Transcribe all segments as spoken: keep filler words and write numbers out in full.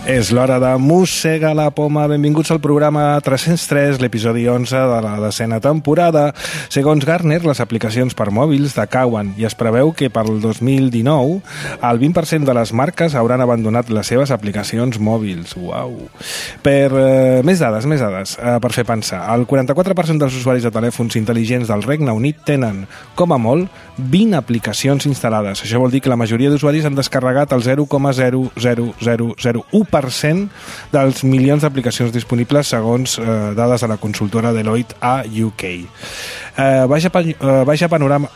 És l'hora de Mossega la Poma. Benvinguts al programa tres-cents tres, l'episodi onze de la desena temporada. Segons Gartner, les aplicacions per mòbils decauen i es preveu que per al dos mil dinou el vint per cent de les marques hauran abandonat les seves aplicacions mòbils. Uau! Per eh, més dades, més dades, eh, per fer pensar. El quaranta-quatre per cent dels usuaris de telèfons intel·ligents del Regne Unit tenen, com a molt, vint aplicacions instal·lades. Això vol dir que la majoria d'usuaris han descarregat el zero coma zero zero zero zero u per cent dels milions d'aplicacions disponibles segons eh, dades de la consultora Deloitte a U K. Eh, vaja, eh, vaja panorama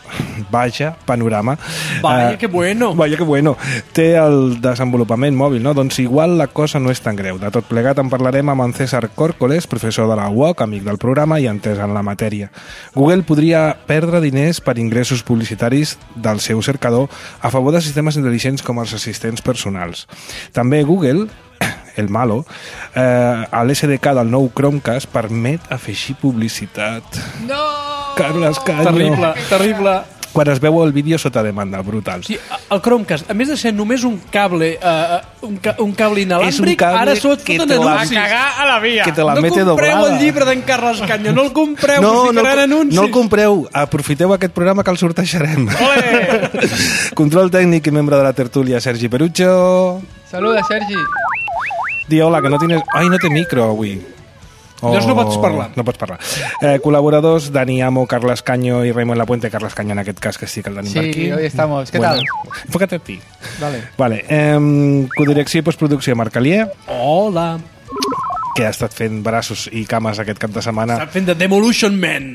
vaja panorama vaya eh, que bueno vaya que bueno té el desenvolupament mòbil, no? Doncs igual la cosa no és tan greu. De tot plegat en parlarem amb en César Córcoles, professor de la U O C, amic del programa i entès en la matèria. Google podria perdre diners per ingressos publicitaris del seu cercador a favor de sistemes intel·ligents com els assistents personals. També Google, el malo, eh, a l'S D K del nou Chromecast permet afegir publicitat. No! Carles Canyo. Terrible, terrible. Quan es veu el vídeo sota demanda, brutal. Sí, el Chromecast, a més de ser només un cable uh, un, ca un cable inalàmbric, cable ara sot que foten te la- anuncis. A cagar a la via. que te la no mete compreu doblada. el llibre d'en Carles Canyo, no el compreu, No, us no, ficaran el, anuncis. no el compreu. Aprofiteu aquest programa que el sortejarem. Ole! Control tècnic i membre de la tertúlia, Sergi Perucho. Saluda, Sergi. Di hola, que no tienes... Ai, no té micro avui. Llavors no pots parlar. No pots parlar. Eh, col·laboradors, Dani Amo, Carles Canyo i Raimon Lapuente. Carles Canyo en aquest cas, que sí que el tenim Sí, per aquí. hoy estamos. ¿Qué Bueno, tal? enfócate a ti. Vale. Vale. Eh, codirecció i postproducció, Marc Alier, Hola. que ha estat fent braços i cames aquest cap de setmana. Estan fent de Demolition Man.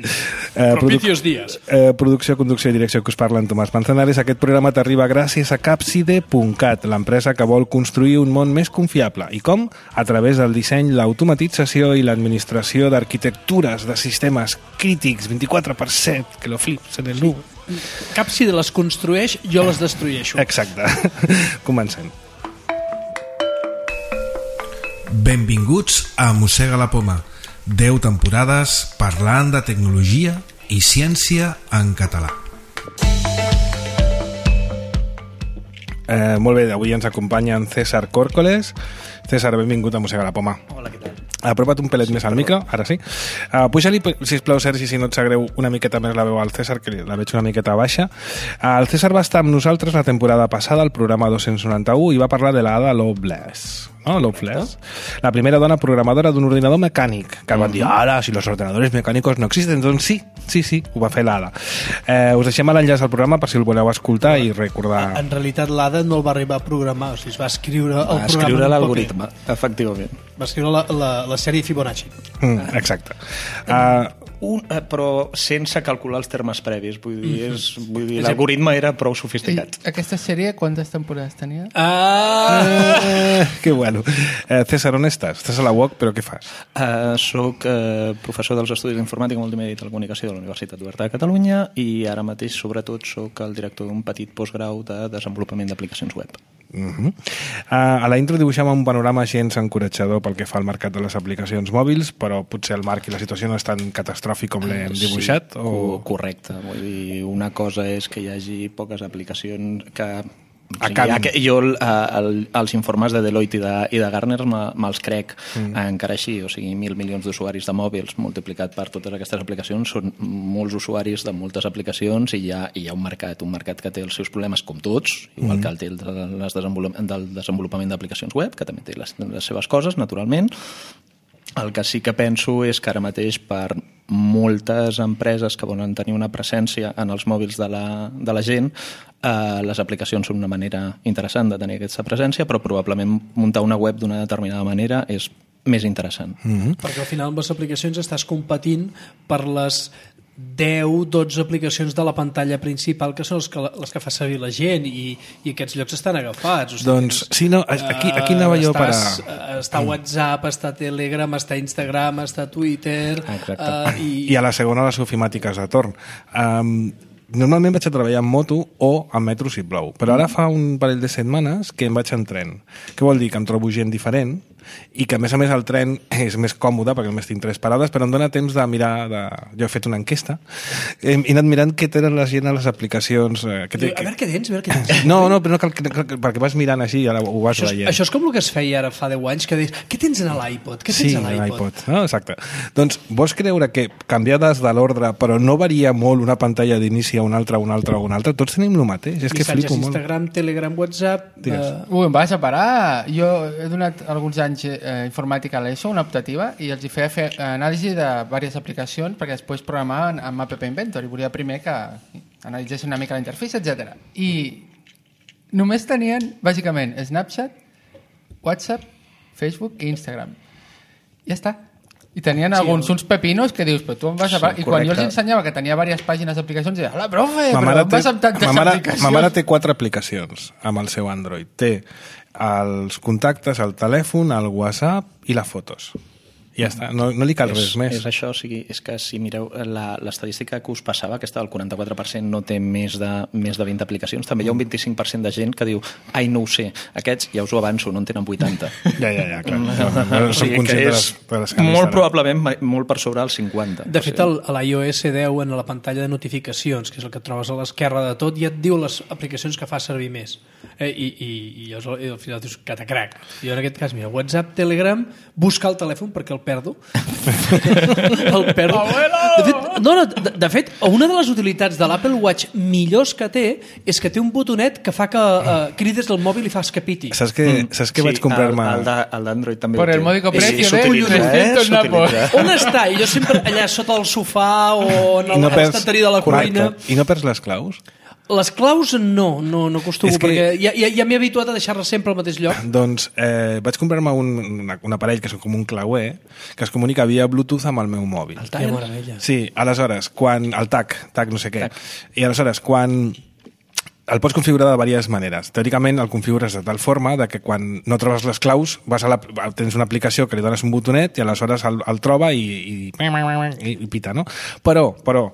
Eh, Propicios días. Eh, producció, conducció i direcció que us parla en Tomàs Manzanares. Aquest programa t'arriba gràcies a Capside punt cat, l'empresa que vol construir un món més confiable. I com? A través del disseny, l'automatització i l'administració d'arquitectures de sistemes crítics, vint-i-quatre per set, que lo flips en el nu. Cap si de les construeix, jo les destrueixo. Exacte. Comencem. Benvinguts a Mossega la Poma. deu temporades parlant de tecnologia i ciència en català. Eh, molt bé, avui ens acompanya en César Córcoles. César, benvingut a Mossega la Poma. Hola, què tal? Apropa't un pelet més al micro, ara sí. Uh, Puja-li, sisplau, Sergi, si no et sap greu, una miqueta més la veu al César, que la veig una miqueta baixa. Uh, el César va estar amb nosaltres la temporada passada, al programa dos-cents noranta-u, i va parlar de la Ada Lovelace. No, Lovelace. La primera dona programadora d'un ordinador mecànic, que van dir, ara, si los ordenadores mecànicos no existen, doncs sí, sí, sí, ho va fer l'Ada. Eh, us deixem l'enllaç al programa per si el voleu escoltar i recordar... En realitat, l'Ada no el va arribar a programar, o sigui, es va escriure el Va programa. escriure en un l'algoritme, paper. efectivament. Va escriure la, la, la sèrie Fibonacci. Mm, exacte. Uh, Un, eh, però sense calcular els termes previs. Vull dir, és, vull dir l'algoritme era prou sofisticat. I aquesta sèrie quantes temporades tenia? Ah! eh, que bueno. Eh, César, on estàs? Estàs a la U O C, però què fas? Uh, soc uh, professor dels Estudis d'Informàtica, Multimèdia i Telecomunicació de la Universitat Oberta de Catalunya i ara mateix, sobretot, soc el director d'un petit postgrau de desenvolupament d'aplicacions web. Uh -huh. uh, a la intro dibuixàvem un panorama gens encoratjador pel que fa al mercat de les aplicacions mòbils, però potser el Marc i la situació no és tan catastròfic com l'hem dibuixat? Sí, o... correcte. Vull dir, una cosa és que hi hagi poques aplicacions que... O sigui, Acabin. que jo el, el, els informes de Deloitte i de, i de Gartner me'ls crec Mm. encara així, o sigui, mil milions d'usuaris de mòbils multiplicat per totes aquestes aplicacions són molts usuaris de moltes aplicacions i hi ha, hi ha un mercat, un mercat que té els seus problemes com tots, igual mm. que el té el de les desenvolup del desenvolupament d'aplicacions web, que també té les, les seves coses, naturalment. El que sí que penso és que ara mateix per moltes empreses que volen tenir una presència en els mòbils de la, de la gent, eh, les aplicacions són una manera interessant de tenir aquesta presència, però probablement muntar una web d'una determinada manera és més interessant. Mm-hmm. Perquè al final amb les aplicacions estàs competint per les deu dotze aplicacions de la pantalla principal que són les que, les que fa servir la gent i, i aquests llocs estan agafats. O sigui, Doncs, sí, no, aquí, aquí anava jo per a... Estàs, està WhatsApp, està Telegram, està Instagram, està Twitter... Exacte. Uh, i, I a la segona les ofimàtiques de torn. Um, normalment vaig a treballar en moto o en metro si plou, però ara fa un parell de setmanes que em vaig en tren. Què vol dir? Que em trobo gent diferent i que a més a més el tren és més còmode perquè només tinc tres parades, però em dona temps de mirar de... jo he fet una enquesta he, he anat mirant què tenen la gent a les aplicacions eh, que té, A veure què tens, a veure què tens. no, no, però no cal, cal, perquè vas mirant així i ara ho vas Això és, veient. això és com el que es feia ara fa deu anys, que deies, què tens en l'iPod? Què tens Sí, a l'iPod? l'iPod, no? Exacte. Doncs vols creure que canviades de l'ordre però no varia molt una pantalla d'inici a una altra, una altra, una altra? Tots tenim el mateix, és que Missatges flipo molt. Instagram, Telegram, WhatsApp... Digues. Eh, Ui, em vas a parar. Jo he donat alguns anys eh, informàtica a l'ESO, una optativa, i els hi feia fer anàlisi de diverses aplicacions perquè després programaven amb App Inventor i volia primer que analitzessin una mica la interfície, etcètera. I només tenien, bàsicament, Snapchat, WhatsApp, Facebook i Instagram. Ja està. I tenien Sí, alguns el- uns pepinos que dius, però tu em vas a... Sí, I quan jo els correcte. ensenyava que tenia diverses pàgines d'aplicacions, deia, hola, profe, Ma però mare, em vas té, amb tantes ma, mare, aplicacions. ma mare té quatre aplicacions amb el seu Android. Té els contactes, el telèfon, el WhatsApp i les fotos. I ja està, no, no li cal res és, més. és això, o sigui, és que si mireu la- l'estadística que us passava, aquesta del quaranta-quatre per cent no té més de, més de vint aplicacions, també hi ha un vint-i-cinc per cent de gent que diu, ai, no ho sé, aquests, ja us ho avanço, no en tenen vuitanta. Ja, ja, ja, clar. No, no, no, O som sigui que conscients de les, és de les que molt n'estan. probablement ma- molt per sobre el cinquanta. De fet, el, a l'iOS deu, en la pantalla de notificacions, que és el que et trobes a l'esquerra de tot, ja et diu les aplicacions que fa servir més. Eh, i, i, i, llavors, i al final dius, catacrac. Jo en aquest cas, mira, WhatsApp, Telegram, buscar el telèfon perquè el perdo. el perdo. De fet, no, no, de, de fet, una de les utilitats de l'Apple Watch millors que té és que té un botonet que fa que uh, crides el mòbil i fas que piti. Saps que, saps que vaig comprar-me... El, el, de, el d'Android també Por ho té. el módico I precio de s'utilitza, trescientos eh? napos. S'utilitza. On està? I jo sempre allà sota el sofà o en I no perds- l'estanteria de la cuina. Correcte. I no perds les claus? Les claus no, no, no acostumo, És que- perquè ja, ja, ja m'he habituat a deixar-les sempre al mateix lloc. Doncs eh, vaig comprar-me un, una, un aparell que és com un clauer que es comunica via Bluetooth amb el meu mòbil. El Tire? Que meravella. Sí, aleshores, quan... El TAC, TAC no sé què. I aleshores, quan... El pots configurar de diverses maneres. Teòricament el configures de tal forma de que quan no trobes les claus vas a la, tens una aplicació que li dones un botonet i aleshores el, el troba i, i, i, i pita, no? Però, però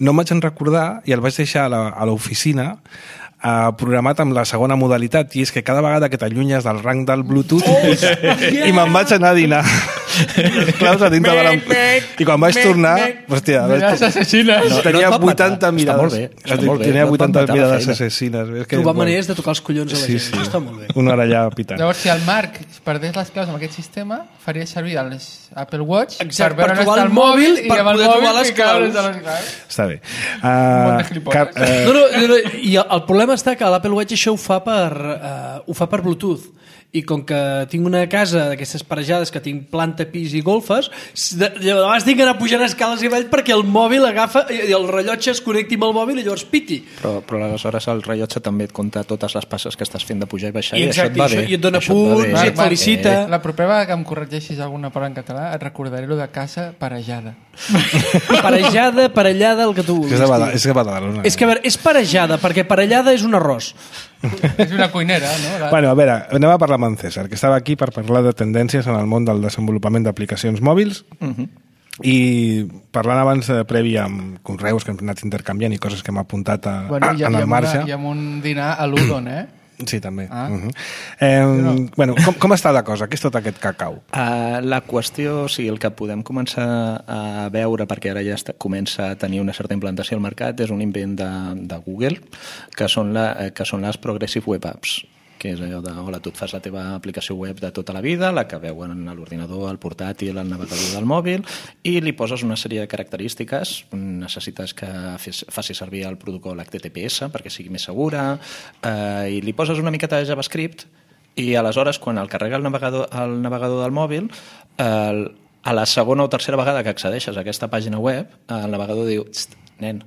no em vaig en recordar i el vaig deixar a la- a l'oficina eh, programat amb la segona modalitat i és que cada vegada que t'allunyes del rang del Bluetooth oh, i me'n vaig anar a dinar les claus a dintre de la... i quan vaig tornar hòstia, vaig... Les assassines. No, tenia no et va vuitanta matar. mirades. Està molt bé, està molt bé. Tenia No et va vuitanta matar la mirades feina. assassines. És que, Trobar bueno, maneres de tocar els collons a la Sí, gent. sí. Això està molt bé. Una hora allà pitant. Llavors, si el Marc perdés les claus amb aquest sistema, faria servir els Apple Watch Exacte, per veure per on trobar està el el mòbil mòbil, i per amb el poder trobar mòbil les ficar claus. les de les claus. Està bé. Un munt de Uh, gilipolles. Car, uh, No, no, no, no, i el, el problema està que l'Apple Watch això ho fa per, uh, ho fa per Bluetooth. I com que tinc una casa d'aquestes parejades que tinc planta, pis i golfes, de, de vegades tinc que anar pujant escales i avall perquè el mòbil agafa i el rellotge es connecti amb el mòbil i llavors piti. Però, però aleshores el rellotge també et compta totes les passes que estàs fent de pujar i baixar I i, exacte, això et va i això- bé. i et dona Això va punts, bé. i et Marc, Marc, felicita. La propera vegada que em corregeixis alguna paraula en català et recordaré lo de casa parejada. Parejada, parellada, el que tu és vulguis. de Bada- dir. és de Badalona. És que, a veure, és parejada, perquè parellada és un arròs. És una cuinera, no? La... Bueno, a veure, anem a parlar amb en César, que estava aquí per parlar de tendències en el món del desenvolupament d'aplicacions mòbils. Uh -huh. I parlant abans eh, previ amb conreus que hem anat intercanviant i coses que hem apuntat a, Bueno, hi ha, en hi ha el marge. una, hi ha un dinar a l'Udon, eh? Sí, també. Ah. Uh -huh. eh, no. bueno, com, com està la cosa? Què és tot aquest cacau? Uh, la qüestió, o sigui, el que podem començar a veure, perquè ara ja està, comença a tenir una certa implantació al mercat, és un invent de, de Google, que són, la, eh, que són les Progressive Web Apps, que és allò de, hola, tu et fas la teva aplicació web de tota la vida, la que veuen a l'ordinador, al portàtil, al navegador del mòbil, i li poses una sèrie de característiques. Necessites que fes, faci servir el protocol H T T P S perquè sigui més segura, eh, i li poses una miqueta de JavaScript, i aleshores, quan el carrega el navegador, el navegador del mòbil, el, a la segona o tercera vegada que accedeixes a aquesta pàgina web, el navegador diu, "Txt, nen,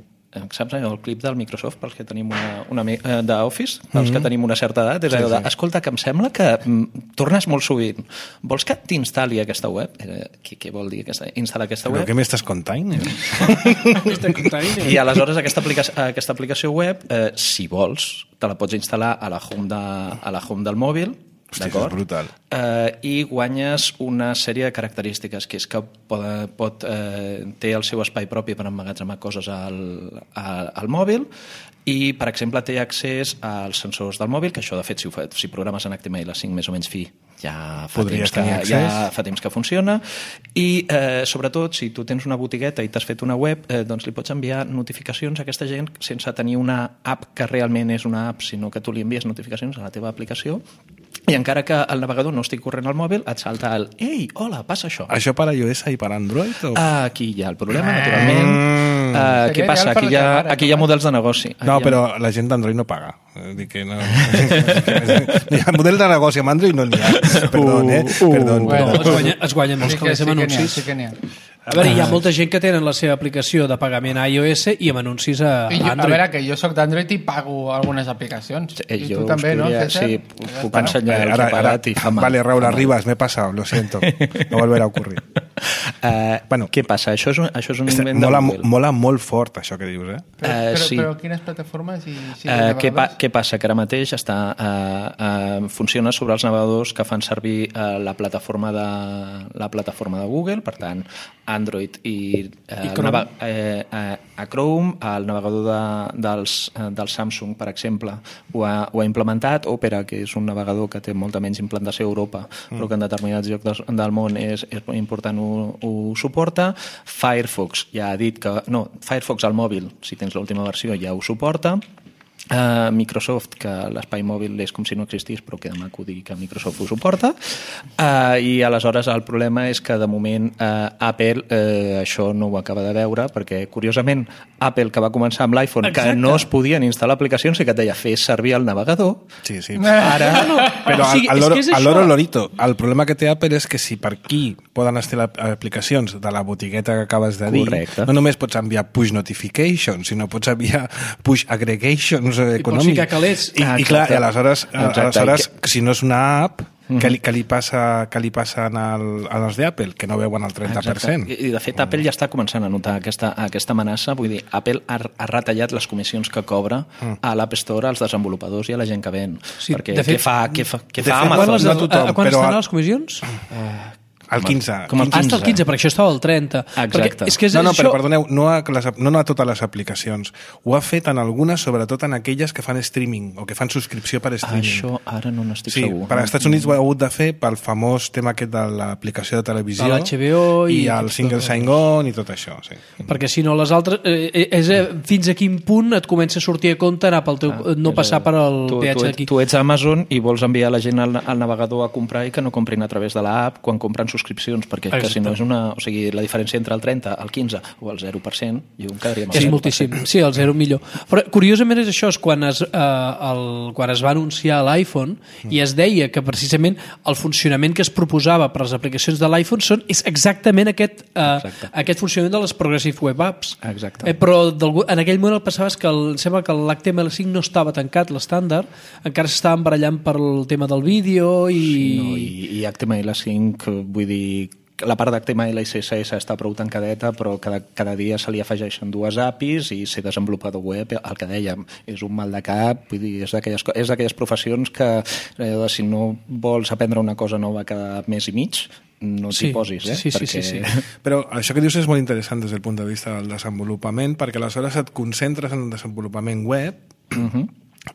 saps allò, el clip del Microsoft pels que tenim una, una eh, d'Office, pels mm -hmm. que tenim una certa edat, és allò de, escolta, que em sembla que mm, tornes molt sovint, vols que t'instal·li aquesta web? Eh, què, què vol dir aquesta, instal·lar aquesta Però web? què m'estàs contant? I aleshores aquesta, aplica aquesta aplicació web, eh, si vols, te la pots instal·lar a la home, de, a la home del mòbil, Hosti, això és brutal. Eh, I guanyes una sèrie de característiques, que és que pot, pot, eh, té el seu espai propi per emmagatzemar coses al, al, al mòbil, i, per exemple, té accés als sensors del mòbil, que això, de fet, si, ho fa, si programes en H T M L cinc més o menys fi, ja fa, temps que, ja fa temps que funciona. I, eh, sobretot, si tu tens una botigueta i t'has fet una web, eh, doncs li pots enviar notificacions a aquesta gent sense tenir una app que realment és una app, sinó que tu li envies notificacions a la teva aplicació, i encara que el navegador no estigui corrent al mòbil, et salta el «Ei, hola, passa això». Això per iOS i per Android? O... Aquí hi ha el problema, naturalment. Mm. Uh, què passa? Aquí hi, ha, aquí hi ha models de negoci. Aquí no, ha... però la gent d'Android no paga. Dic que no... Hi ha model de negoci amb Android no n'hi ha. Perdó, eh? Uh, Perdó, uh, perdó. Es guanya, es guanya molts Sí que, calés sí amb que n'hi ha, anuncis. sí que n'hi ha. A veure, hi ha molta gent que tenen la seva aplicació de pagament a iOS i amb anuncis a I jo, a Android. veure, que jo sóc d'Android i pago algunes aplicacions. Eh, I jo tu també, no, podria, César? sí, puc ensenyar el que he pagat i fa mal. Vale, Raúl Arribas, me he pasado, lo siento. No volverá a ocurrir. Uh, Bueno. què passa? Això és un, això és un Este, invent mola, de Google. mola molt fort, això que dius, eh? Però, Eh, però, sí. però quines plataformes? I, sí, Uh, què, pa, navegadors? què passa? Que ara mateix està, uh, uh, funciona sobre els navegadors que fan servir uh, la, plataforma de, la plataforma de Google, per tant, Android i, uh, I Chrome. nava, eh, uh, a Chrome, el navegador de, dels, uh, del Samsung, per exemple, ho ha, ho ha implementat. Opera, que és un navegador que té molta menys implantació a Europa, mm. però que en determinats llocs del, del món és, és important, ho, ho suporta. Firefox ja ha dit que... No, Firefox al mòbil, si tens l'última versió, ja ho suporta. Uh, Microsoft, que l'espai mòbil és com si no existís, però queda maco dir que Microsoft ho suporta. Uh, I aleshores el problema és que de moment uh, Apple uh, això no ho acaba de veure, perquè curiosament Apple, que va començar amb l'iPhone, que no es podien instal·lar aplicacions i que et deia fes servir el navegador, Sí, sí. ara... Però O sigui, al, al, és loro, que és al això. loro lorito, el problema que té Apple és que si per aquí poden instal·lar aplicacions de la botigueta que acabes de dir, Correcte. no només pots enviar push notifications, sinó pots enviar push aggregations pots econòmics. ficar calés. I, Ah, i clar, exacte. i aleshores, Exacte. aleshores I si no és una app, que li, que li passa que li passen al, als d'Apple, que no veuen el trenta per cent. Exacte. I, de fet, Apple ja està començant a notar aquesta, aquesta amenaça. Vull dir, Apple ha, ha retallat les comissions que cobra a l'App Store als desenvolupadors i a la gent que ven. Sí, perquè de fet- què fa, què fa, què de fa fet, Amazon? Quan les, no a, tothom, a, a quan però- estan les comissions? El quinze. Com el Ah, està al quinze, perquè això estava al trenta. Exacte. Perquè és que és No, no, això... però perdoneu, no a, les, no a totes les aplicacions. Ho ha fet en algunes, sobretot en aquelles que fan streaming o que fan subscripció per streaming. Això ara no n'estic Sí, segur. per als Estats Units ho ha hagut de fer pel famós tema aquest de l'aplicació de televisió De l'H B O i- i el single sign-on i tot això. Sí. Perquè si no les altres... Eh, és eh, fins a quin punt et comença a sortir a compte anar pel teu, Ah, no és passar a- per al tu, peatge tu, d'aquí. ets, tu ets a Amazon i vols enviar la gent al, al navegador a comprar i que no comprin a través de l'app quan compren subscripcions, perquè que si no és una... O sigui, la diferència entre el trenta, el quinze o el zero per cent, jo em quedaria amb el És zero per moltíssim. cent. Sí, el zero millor. Però curiosament és això, és quan es, eh, el, quan es va anunciar l'iPhone i es deia que precisament el funcionament que es proposava per les aplicacions de l'iPhone són, és exactament aquest, eh, Exacte. aquest funcionament de les Progressive Web Apps. Exacte. Eh, però en aquell moment el passava és que el, sembla que l'H T M L cinc no estava tancat, l'estàndard, encara s'estaven barallant per el tema del vídeo i... No, i, i H T M L cinc, vull dir, la part d'H T M L i C S S està prou tancadeta, però cada, cada dia se li afegeixen dues A P Is i ser desenvolupador web, el que dèiem, és un mal de cap, vull dir, és d'aquelles co- és d'aquelles professions que eh, si no vols aprendre una cosa nova cada mes i mig, no t'hi Sí, posis, eh? sí, sí, sí, sí. Però això que dius és molt interessant des del punt de vista del desenvolupament, perquè aleshores et concentres en el desenvolupament web. Uh-huh.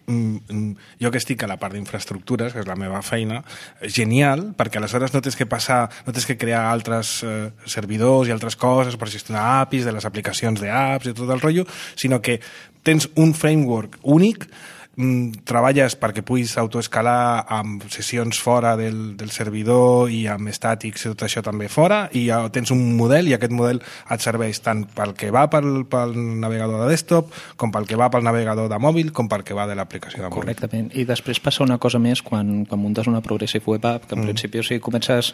Mm, mm, jo que estic a la part d'infraestructures, que és la meva feina, genial, perquè aleshores no tens que passar, no tens que crear altres eh, servidors i altres coses per gestionar A P Is de les aplicacions d'apps i tot el rotllo, sinó que tens un framework únic, mm, treballes perquè puguis autoescalar amb sessions fora del, del servidor i amb estàtics i tot això també fora, i ja tens un model i aquest model et serveix tant pel que va pel, pel navegador de desktop com pel que va pel navegador de mòbil com pel que va de l'aplicació de mòbil. Correctament. I després passa una cosa més quan, quan muntes una Progressive Web App, que en mm. principi, o sigui, comences...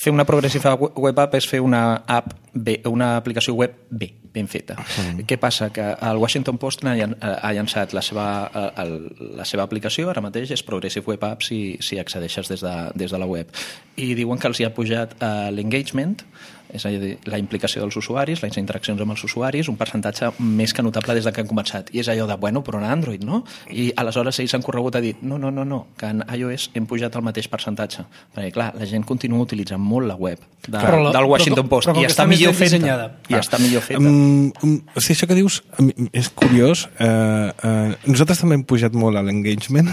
Fer una Progressive Web App és fer una app bé, una aplicació web bé, ben feta. Mm. Què passa? Que el Washington Post ha, ha llançat la seva, el, la seva aplicació, ara mateix és Progressive Web App si, si accedeixes des de, des de la web. I diuen que els hi ha pujat uh, l'engagement és a dir, la implicació dels usuaris, les interaccions amb els usuaris, un percentatge més que notable des de que han començat. I és allò de, bueno, però en Android, no? I aleshores ells han corregut a dir, no, no, no, no, que en iOS hem pujat el mateix percentatge. Perquè, clar, la gent continua utilitzant molt la web de, la, del Washington però, Post però, però i està millor feta. I està millor feta. Um, um, o sigui, això que dius és curiós. Uh, uh, nosaltres també hem pujat molt a l'engagement,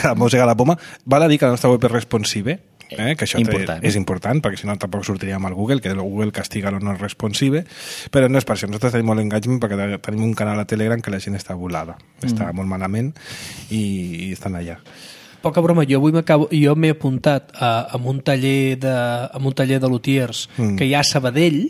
a Mosega la Poma. Val a dir que la nostra web és responsive, Eh, que això important. és important, perquè si no tampoc sortiríem al Google, que el Google castiga lo no responsive, però no és per això. Nosaltres tenim molt engagement perquè tenim un canal a Telegram que la gent està volada, mm. està molt malament i, i estan allà. Poca broma, jo avui jo m'he apuntat a, a un taller de, a un taller de lutiers mm. que hi ha a Sabadell.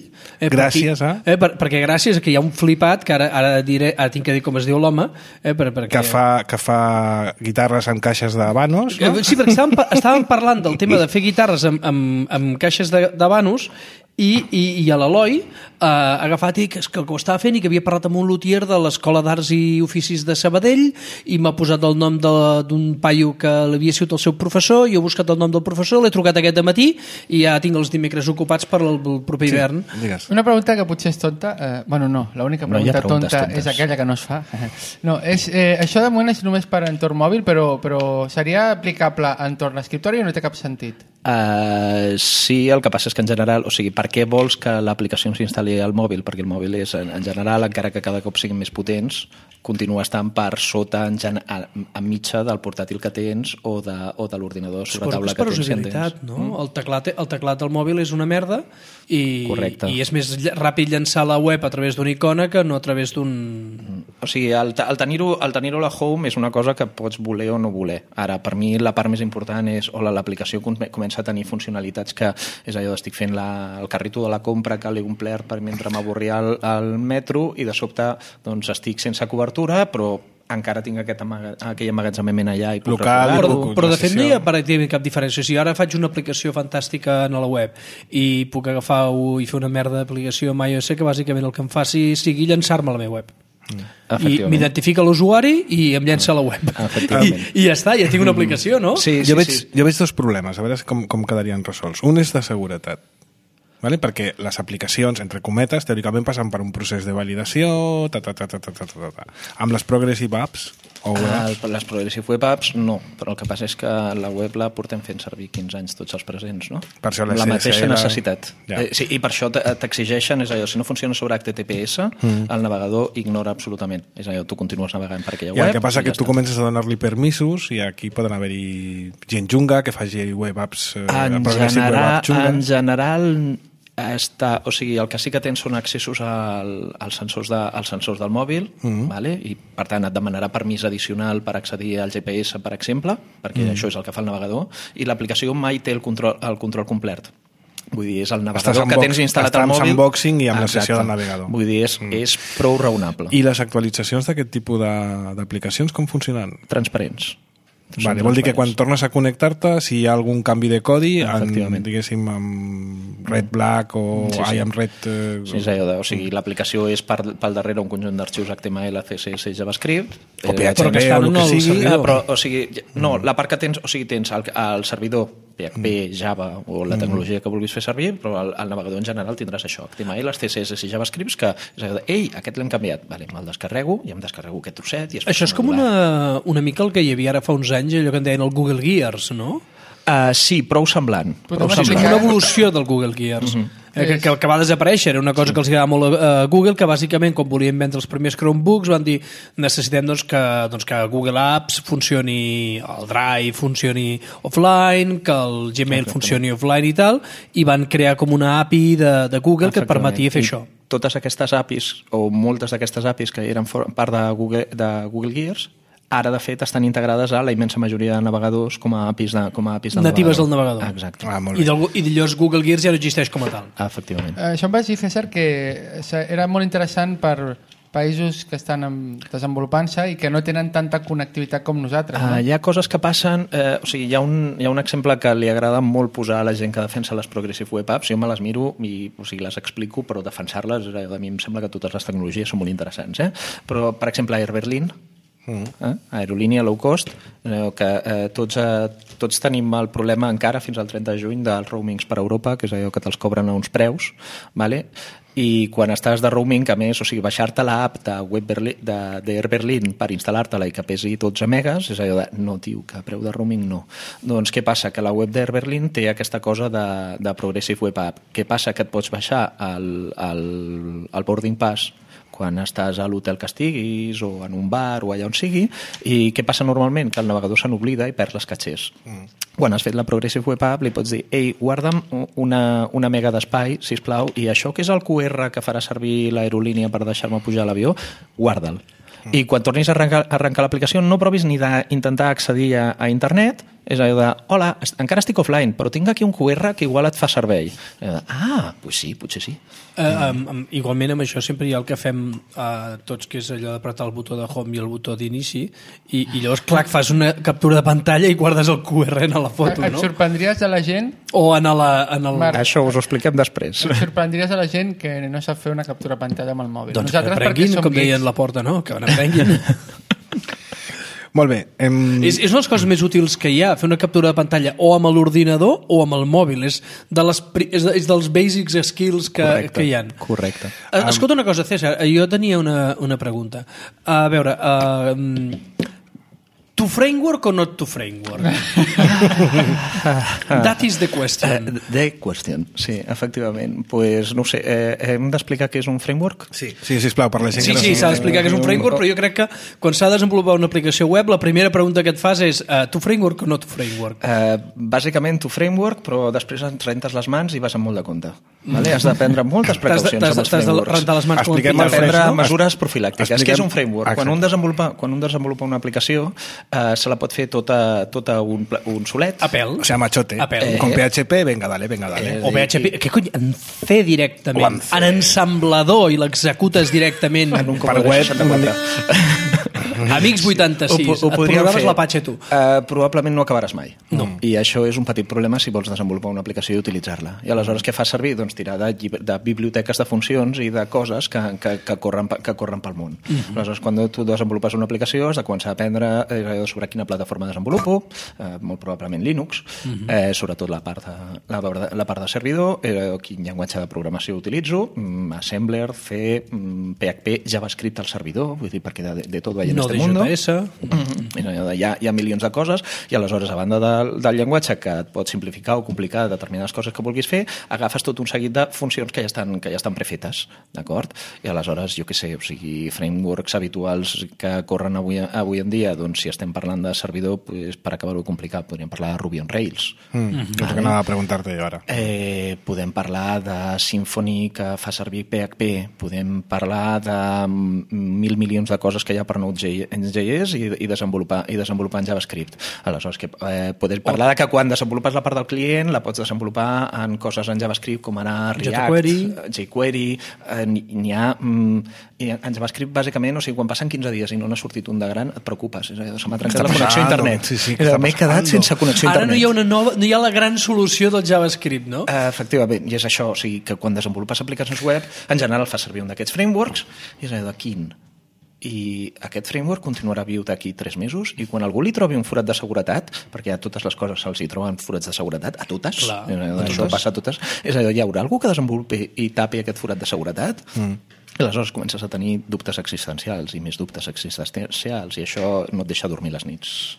Eh, gràcies perquè, a... Eh, per, perquè gràcies a que hi ha un flipat, que ara, ara, diré, ara tinc que dir com es diu l'home, eh, per, perquè... que, fa, que fa guitarres amb caixes de vanos, no? Sí, perquè estàvem, estàvem parlant del tema de fer guitarres amb, amb, amb caixes de, de vanos i, i, i a l'Eloi eh, ha agafat i que, que ho estava fent i que havia parlat amb un lutier de l'Escola d'Arts i Oficis de Sabadell i m'ha posat el nom d'un paio que l'havia sigut el seu professor, jo he buscat el nom del professor, l'he trucat aquest matí i ja tinc els dimecres ocupats per al proper hivern. Sí, una pregunta que potser és tonta, eh, bueno no, l'única pregunta no tonta tontes. És aquella que no es fa. No, és, eh, això de moment és només per entorn mòbil, però, però seria aplicable a entorn escriptori o no té cap sentit? Uh, sí, el que passa és que en general, o sigui, per què vols que l'aplicació s'instal·li al mòbil? Perquè el mòbil és, en general, encara que cada cop siguin més potents, continua estant per sota, en, gen... a, a mitja del portàtil que tens o de, o de l'ordinador sobre taula que tens. És per usabilitat, no? Mm. El, teclat, el teclat del mòbil és una merda i, i és més ràpid llançar la web a través d'una icona que no a través d'un... Mm. O sigui, el, el tenir-ho el tenir a la home és una cosa que pots voler o no voler. Ara, per mi, la part més important és o l'aplicació comença a tenir funcionalitats que és allò d'estic fent la, el carrito de la compra que l'he omplert per mentre m'avorria al, al metro i de sobte doncs, estic sense cobertura, però encara tinc aquest amaga, aquell emmagatzemament allà i puc local, però, però de fet no hi ha pràcticament cap diferència. Si ara faig una aplicació fantàstica a la web i puc agafar i fer una merda d'aplicació amb iOS que bàsicament el que em faci sigui llançar-me a la meva web. Mm. I m'identifica l'usuari i em llença a la web. I, i ja està, ja tinc una aplicació, no? Sí, sí, jo, veig, sí. jo veig dos problemes, a veure com, com quedarien resolts. Un és de seguretat, vale? Perquè les aplicacions, entre cometes, teòricament passen per un procés de validació, ta, ta, ta, ta, ta, ta, ta, ta. Amb les Progressive Apps o ah, les Progressive Web Apps no, però el que passa és que la web la portem fent servir quinze anys tots els presents, no? Per això la, la mateixa necessitat. Ja. Eh, sí, i per això t'exigeixen, és allò, si no funciona sobre H T T P S, mm. el navegador ignora absolutament. És allò, tu continues navegant per aquella I web. El que passa és que ja tu està. Comences a donar-li permisos i aquí poden haver-hi gent junga que faci web apps eh, en Progressive general, Web Apps junga. En general està, o sigui, el que sí que tens són accessos al, als, sensors de, als sensors del mòbil, mm-hmm. vale? I per tant et demanarà permís addicional per accedir al G P S, per exemple, perquè mm. això és el que fa el navegador, i l'aplicació mai té el control, el control complet. Vull dir, és el navegador que tens instal·lat al mòbil. Estàs amb unboxing i amb Exacte. La sessió del navegador. Vull dir, és, mm. és prou raonable. I les actualitzacions d'aquest tipus d'aplicacions com funcionen? Transparents. Vale, vol dir que quan tornes a connectar-te, si hi ha algun canvi de codi, en, diguéssim, amb red black o sí, sí. ai, amb red... Eh... Sí, és allò de, o sigui, l'aplicació és per, pel darrere un conjunt d'arxius H T M L, C S S i JavaScript. O P H P o el que sigui. Ah, però, o sigui, no, la part que tens, o sigui, tens el, el servidor P H P, Java o la tecnologia que vulguis fer servir, però el, el navegador en general tindràs això, H T M L, C S S i JavaScript, que és allò de, ei, aquest l'hem canviat, vale, me'l descarrego i em descarrego aquest trosset. I això és com una, una mica el que hi havia ara fa uns anys, allò que en deien el Google Gears, no? Uh, sí, prou semblant. Prou semblant. Una evolució del Google Gears. Uh-huh. eh, que, que, que va desaparèixer. Era una cosa que els agradava molt a Google, que bàsicament, quan volien vendre els primers Chromebooks, van dir necessitem doncs, que, doncs, que Google Apps funcioni, el Drive funcioni offline, que el Gmail funcioni offline i tal, i van crear com una A P I de, de Google que et permetia fer I això. Totes aquestes A P Is, o moltes d'aquestes A P Is que eren part de Google, de Google Gears, ara, de fet, estan integrades a la immensa majoria de navegadors com a A P Is, de, com a A P Is del natives navegador. del navegador. Ah, exacte. Ah, I, del, I llavors Google Gears ja no existeix com a tal. Ah, efectivament. Eh, això em vaig dir, César, que era molt interessant per països que estan desenvolupant-se i que no tenen tanta connectivitat com nosaltres. No? Uh, hi ha coses que passen... Eh, o sigui, hi ha, un, hi ha un exemple que li agrada molt posar a la gent que defensa les Progressive Web Apps. Jo me les miro i o sigui, les explico, però defensar-les, a mi em sembla que totes les tecnologies són molt interessants. Eh? Però, per exemple, Air Berlin, Mm. Eh? Aerolínia low cost, eh, que eh, tots, eh, tots tenim el problema encara fins al trenta de juny dels roamings per Europa, que és allò que te'ls cobren a uns preus, vale? I quan estàs de roaming, a més, o sigui, baixar-te l'app de Web Berlin, de, d'Air Berlin per instal·lar-te-la i que pesi dotze megas, és allò de, no, tio, que preu de roaming no. Doncs què passa? Que la web d'Air Berlin té aquesta cosa de, de Progressive Web App. Què passa? Que et pots baixar el, el, el boarding pass quan estàs a l'hotel que estiguis o en un bar o allà on sigui, i què passa normalment? Que el navegador se n'oblida i perd les catxers. Mm. Quan has fet la Progressive Web App li pots dir, ei, guarda'm una, una mega d'espai, sisplau, i això que és el Q R que farà servir l'aerolínia per deixar-me pujar a l'avió, guarda'l. Mm. I quan tornis a arrencar, a arrencar l'aplicació no provis ni d'intentar accedir a, a internet, és allò de, hola, encara estic offline, però tinc aquí un Q R que igual et fa servei. De, ah, doncs sí, potser sí. Uh, um, um, igualment amb això sempre hi ha el que fem uh, tots, que és allò d'apretar el botó de home i el botó d'inici, i, i llavors, clar, que fas una captura de pantalla i guardes el Q R en la foto, et no? Et sorprendries de la gent... O en, la, en el... Marc, això us ho expliquem després. et sorprendries de la gent que no sap fer una captura de pantalla amb el mòbil. Doncs Nosaltres, que aprenguin, com deien la porta, no? Que n'aprenguin. Molt bé. Hem... És, és una de les coses més útils que hi ha, fer una captura de pantalla o amb l'ordinador o amb el mòbil. És, de les, és, de, és dels basics skills que, correcte, que hi ha. Correcte. Uh, escolta una cosa, César, jo tenia una, una pregunta. A veure, uh, to framework o not to framework? That is the question. Uh, the question, sí, efectivament. Pues, no ho sé, eh, hem d'explicar què és un framework? Sí, sí, sisplau, per la gent sí, que no sí, s'ha d'explicar què és un framework, però jo crec que quan s'ha de desenvolupar una aplicació web, la primera pregunta que et fas és uh, to framework o not to framework? Uh, bàsicament to framework, però després et rentes les mans i vas amb molt de compte. Vale? Has de prendre moltes precaucions amb els frameworks. T'has de rentar les mans com Expliquem el el prendre framework, no? mesures profilàctiques. Expliquem... Què és un framework? Exacte. Quan un, desenvolupa, quan un desenvolupa una aplicació, eh, se la pot fer tota, tota un, un solet. A pèl. O sea, machote. A pèl. Eh, Con P H P, venga, dale, venga, dale. Eh, O P H P, què cony? En C directament. En C. En ensamblador i l'executes directament. En un Per web... Amics vuitanta-sis, Ho, ho et podríem programes fer. l'Apache tu. Uh, probablement no acabaràs mai. No. I això és un petit problema si vols desenvolupar una aplicació i utilitzar-la. I aleshores què fas servir? Doncs tirar de, llibre, de biblioteques de funcions i de coses que, que, que, corren, que corren pel món. Uh -huh. Aleshores, quan tu desenvolupes una aplicació has de començar a aprendre eh, sobre quina plataforma desenvolupo, eh, molt probablement Linux, uh -huh. eh, sobretot la part de, la, la part de servidor, eh, quin llenguatge de programació utilitzo, mm, Assembler, C, mm, P H P, JavaScript al servidor, vull dir, perquè de, de tot veiem No este de mundo. J S. Mm-hmm. Hi, ha, hi ha milions de coses i aleshores, a banda de, del llenguatge que et pot simplificar o complicar determinades coses que vulguis fer, agafes tot un seguit de funcions que ja estan, que ja estan prefetes, d'acord? I aleshores, jo què sé, o sigui, frameworks habituals que corren avui, avui en dia, doncs si estem parlant de servidor, pues, per acabar-ho complicat, podríem parlar de Ruby on Rails. Mm, mm-hmm. No sé què anava a preguntar-te jo ara. Eh, podem parlar de Symfony que fa servir P H P, podem parlar de mil milions de coses que hi ha per Node.js i, i, desenvolupar, i desenvolupar en JavaScript. Aleshores, que, eh, podem parlar de que quan desenvolupes la part del client la pots desenvolupar en coses en JavaScript com ara React, jQuery, jQuery eh, n'hi ha... Mm, en JavaScript, bàsicament, o sigui, quan passen quinze dies i no n'ha sortit un de gran, et preocupes. És a dir, se m'ha trencat la connexió a internet. Sí, sí, M'he quedat sense connexió a internet. Ara no hi ha una nova, no hi ha la gran solució del JavaScript, no? Uh, efectivament, i és això, o sigui, que quan desenvolupes aplicacions web, en general fa servir un d'aquests frameworks, i és allò de quin? I aquest framework continuarà viu d'aquí tres mesos i quan algú li trobi un forat de seguretat, perquè a totes les coses se'ls hi troben forats de seguretat, a totes, Clar, eh, a això totes. passa a totes, és allò, hi haurà algú que desenvolupi i tapi aquest forat de seguretat? Mm. I aleshores comences a tenir dubtes existencials i més dubtes existencials i això no et deixa dormir les nits.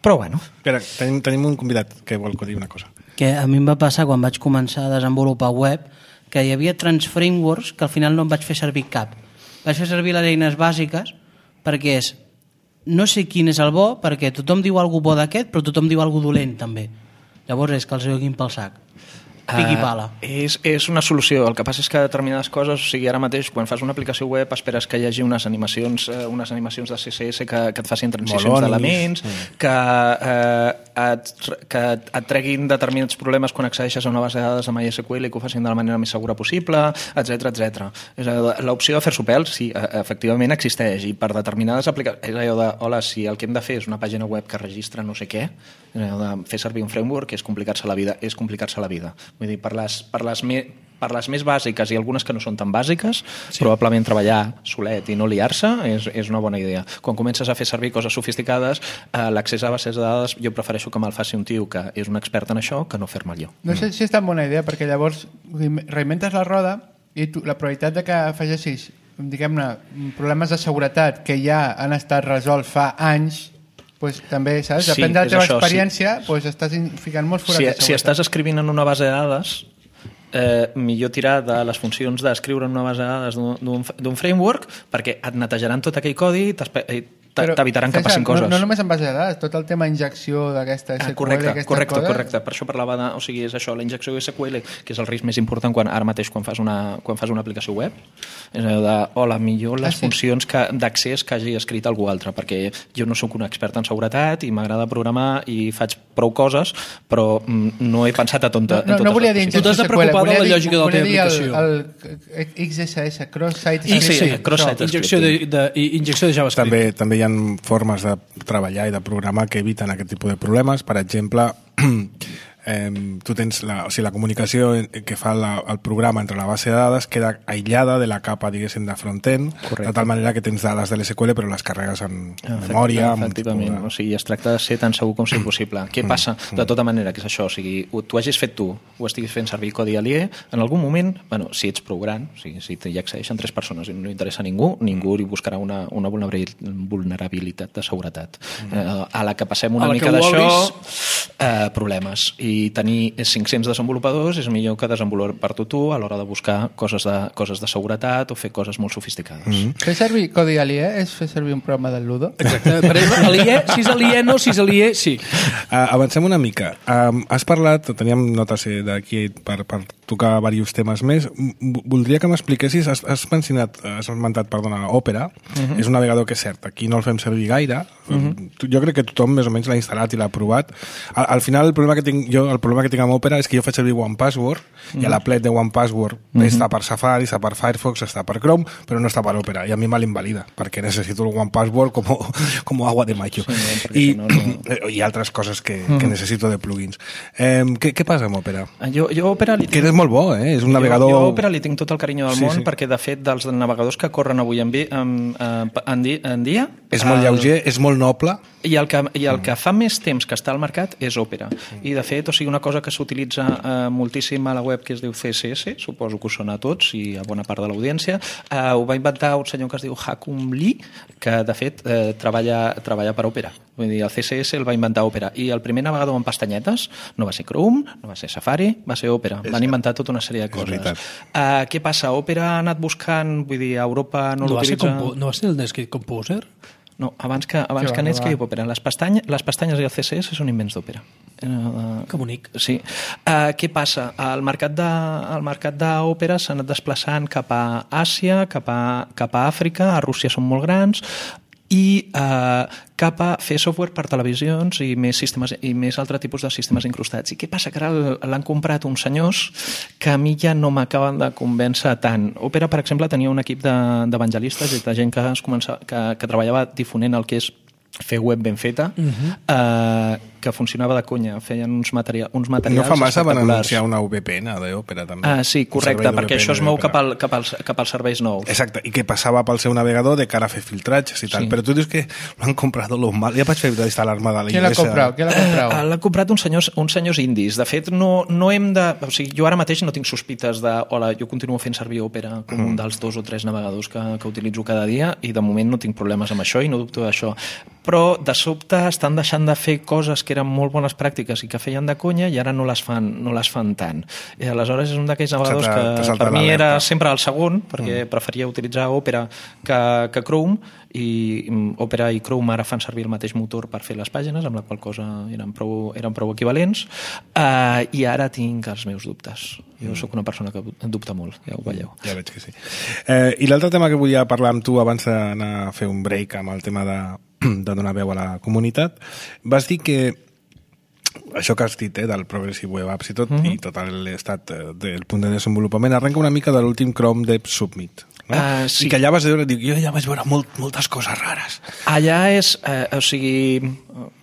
Però bueno. Espera, tenim, tenim un convidat que vol dir una cosa. Que a mi em va passar quan vaig començar a desenvolupar web que hi havia trans frameworks que al final no em vaig fer servir cap. Vaig fer servir les eines bàsiques perquè és no sé quin és el bo, perquè tothom diu alguna bo d'aquest, però tothom diu alguna dolent també. Llavors és que els joguin pel sac. Piqui pala. Uh, és, és una solució. El que passa és que determinades coses, o sigui, ara mateix, quan fas una aplicació web, esperes que hi hagi unes animacions, uh, unes animacions de C S S que, que et facin transicions d'elements, mm. que, uh, et, que et treguin determinats problemes quan accedeixes a una base de dades amb MySQL i que ho facin de la manera més segura possible, etcètera, etcètera. L'opció de fer-s'ho pèl, sí, efectivament existeix, i per determinades aplicacions, és allò de, hola, si el que hem de fer és una pàgina web que registra no sé què, és allò de fer servir un framework és complicar-se la vida, és complicar-se la vida. Vull dir, per les, per les, me, per les més bàsiques i algunes que no són tan bàsiques, sí. probablement treballar solet i no liar-se és, és una bona idea. Quan comences a fer servir coses sofisticades, eh, l'accés a bases de dades jo prefereixo que me'l faci un tio que és un expert en això que no fer-me jo. No sé si és tan bona idea, perquè llavors reinventes la roda i tu, la probabilitat de que afegeixis, diguem-ne, problemes de seguretat que ja han estat resolts fa anys, pues, també, saps? Depèn Sí, de la teva això, experiència, sí. pues, estàs ficant molts forats Si, de seguretat. si estàs escrivint en una base de dades, eh, millor tirar de les funcions d'escriure en una base de dades d'un framework, perquè et netejaran tot aquell codi i t'evitaran que passin coses. No, no només en base de dades, tot el tema injecció d'aquesta S Q L, ah, correcte, aquestes correcte, coses... correcte. Per això parlava de... O sigui, és això, la injecció de S Q L, que és el risc més important quan, ara mateix quan fas una, quan fas una aplicació web, és allò de, hola, millor les ah, sí. funcions que, d'accés que hagi escrit algú altre, perquè jo no sóc un expert en seguretat i m'agrada programar i faig prou coses, però mm, no he pensat a tonta, no, no, en totes no volia dir les Tu t'has de preocupar de la lògica de la teva aplicació. El, el X S S, Cross-Site... Sí, sí, sí, cross-site injecció de, de, injecció de JavaScript. També, també hi ha formes de treballar i de programar que eviten aquest tipus de problemes. Per exemple, eh, tu tens la, o sigui, la comunicació que fa la, el programa entre la base de dades queda aïllada de la capa, diguéssim, de front-end, de tal manera que tens dades de l'S Q L però les carregues en Efecte, memòria. Efectivament, de... o sigui, es tracta de ser tan segur com sigui possible. Què passa? De tota manera, que és això, o sigui, tu hagis fet tu, o estiguis fent servir codi aliè, en algun moment, bueno, si ets prou gran, o sigui, si hi accedeixen tres persones i no interessa a ningú, ningú li buscarà una, una vulnerabilitat de seguretat. Eh, a la que passem una mica d'això, eh, problemes. I tenir cinc-cents desenvolupadors és millor que desenvolupar-t'ho tu a l'hora de buscar coses de, coses de seguretat o fer coses molt sofisticades. Mm-hmm. Fer servir codi aliè és fer servir un programa del Ludo? Exacte. Per exemple, aliè, si és aliè, no, si és aliè, sí. Uh, avancem una mica. Um, has parlat, teníem notes d'aquí per, per tocar diversos temes més. M voldria que m'expliquessis, has, has mencionat, has esmentat, perdona, Opera. Uh-huh. És un navegador que és cert, aquí no el fem servir gaire. Uh-huh. Jo crec que tothom més o menys l'ha instal·lat i l'ha provat. Al, al final, el problema que tinc jo, el problema que tinc amb Opera és que jo faig servir OnePassword mm. i a l'aplet de OnePassword mm -hmm. està per Safari, està per Firefox, està per Chrome, però no està per Opera i a mi me l'invalida perquè necessito el OnePassword com, com agua de mayo. Sí, I, no, no... i altres coses que, mm. que necessito de plugins. Eh, què, què passa amb Opera? Jo, jo Opera li tinc... Que és molt bo, eh? És un navegador... Jo, jo Opera li tinc tot el carinyo del sí, món sí. perquè, de fet, dels navegadors que corren avui en, vi, en, en, en, di, en dia... És molt lleuger, el... és molt noble. I el, que, i el que fa més temps que està al mercat és Opera. I, de fet, o sigui, una cosa que s'utilitza eh, moltíssim a la web que es diu C S S, suposo que us sona a tots i a bona part de l'audiència, eh, ho va inventar un senyor que es diu Hakum Lee, que, de fet, eh, treballa, treballa per Opera. Vull dir, el C S S el va inventar Opera. I el primer navegador amb pestanyetes no va ser Chrome, no va ser Safari, va ser Opera. Van inventar tota una sèrie de coses. Uh, què passa? Opera ha anat buscant, vull dir, a Europa no, no l'utilitza... No va ser el Netscape Composer? No, abans que, abans que Netscape Opera. Les, pestany, les pestanyes i el C S S són invents d'Opera. Uh, que bonic. Sí. Uh, què passa? El mercat de, el mercat d'Opera s'ha anat desplaçant cap a Àsia, cap a, cap a Àfrica, a Rússia són molt grans, i eh, cap a fer software per televisions i més, sistemes, i més altre tipus de sistemes incrustats. I què passa? Que ara l'han comprat uns senyors que a mi ja no m'acaben de convèncer tant. Opera, per exemple, tenia un equip d'evangelistes i de gent que, es comença, que, que treballava difonent el que és fer web ben feta, uh-huh. eh, que funcionava de conya, feien uns, materia uns materials no fa massa van espectaculars. anunciar una V P N d'Opera també. Ah, sí, correcte, perquè això es mou cap, al, cap, als, cap als serveis nous. Exacte, i que passava pel seu navegador de cara a fer filtratges i tal, sí. Però tu dius que l'han comprat lo mal, ja vaig fer d'instal·lar-me de la Qui l'ha comprat? Qui l'ha comprat? Uh, l'ha comprat uns senyors, uns senyors indis. De fet, no, no hem de... O sigui, jo ara mateix no tinc sospites de hola, jo continuo fent servir Opera com mm. un dels dos o tres navegadors que, que utilitzo cada dia i de moment no tinc problemes amb això i no dubto d'això. Però de sobte estan deixant de fer coses que eren molt bones pràctiques i que feien de conya i ara no les fan, no les fan tant. I aleshores és un d'aquells navegadors que per mi era sempre el segon, perquè mm. preferia utilitzar Opera que, que Chrome, i Opera i Chrome ara fan servir el mateix motor per fer les pàgines, amb la qual cosa eren prou, eren prou equivalents, uh, i ara tinc els meus dubtes. Jo sóc una persona que dubta molt, ja ho veieu. Ja veig que sí. Eh, I l'altre tema que volia parlar amb tu abans d'anar a fer un break amb el tema de, de donar veu a la comunitat, vas dir que això que has dit, eh, del Progressive Web Apps i tot, mm -hmm. i tot l'estat eh, del punt de desenvolupament, arrenca una mica de l'últim Chrome Dev Summit. No? Uh, sí. I que allà vas veure, dic, jo ja vaig veure molt, moltes coses rares. Allà és, eh, o sigui,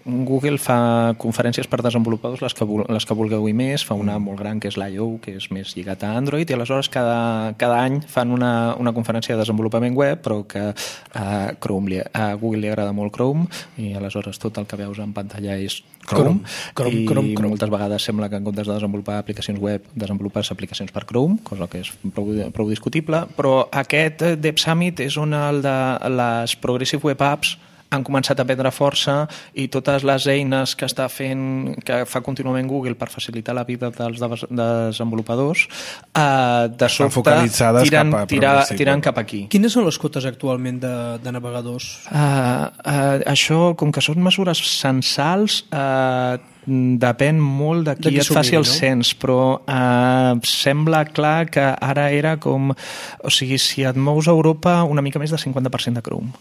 Google fa conferències per desenvolupadors, les que, les que vulgueu i més, fa una molt gran que és l'I O, que és més lligat a Android, i aleshores cada, cada any fan una, una conferència de desenvolupament web, però que a, Chrome li, a Google li agrada molt Chrome, i aleshores tot el que veus en pantalla és Chrome, Chrome, i Chrome, Chrome. moltes vegades sembla que en comptes de desenvolupar aplicacions web desenvolupes aplicacions per Chrome, cosa que és prou, prou discutible, però aquest Dev Summit és on el de les Progressive Web Apps han començat a prendre força i totes les eines que està fent, que fa contínuament Google per facilitar la vida dels desenvolupadors, eh, de sobte tiren cap, tira, tiren cap aquí. Quines són les cotes actualment de, de navegadors? Uh, uh, això, com que són mesures censals, uh, depèn molt de qui, de qui et faci el no? cens, però eh, sembla clar que ara era com... O sigui, si et mous a Europa, una mica més de cinquanta per cent de Chrome.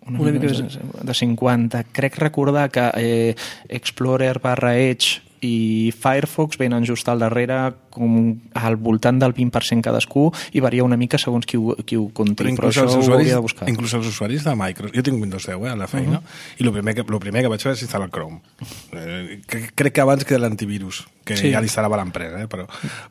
Una, una mica més de cinquanta. Crec recordar que eh, Explorer barra Edge i Firefox venen just al darrere com al voltant del vint per cent cadascú i varia una mica segons qui ho, qui ho conti, però, però això ho hauria de buscar. Inclús els usuaris de Microsoft, jo tinc Windows deu eh, a la feina, uh-huh. i el primer, que, el primer que vaig fer és instal·lar el Chrome. Eh, crec que abans que l'antivirus, que sí. ja l'instal·lava l'empresa, eh, però,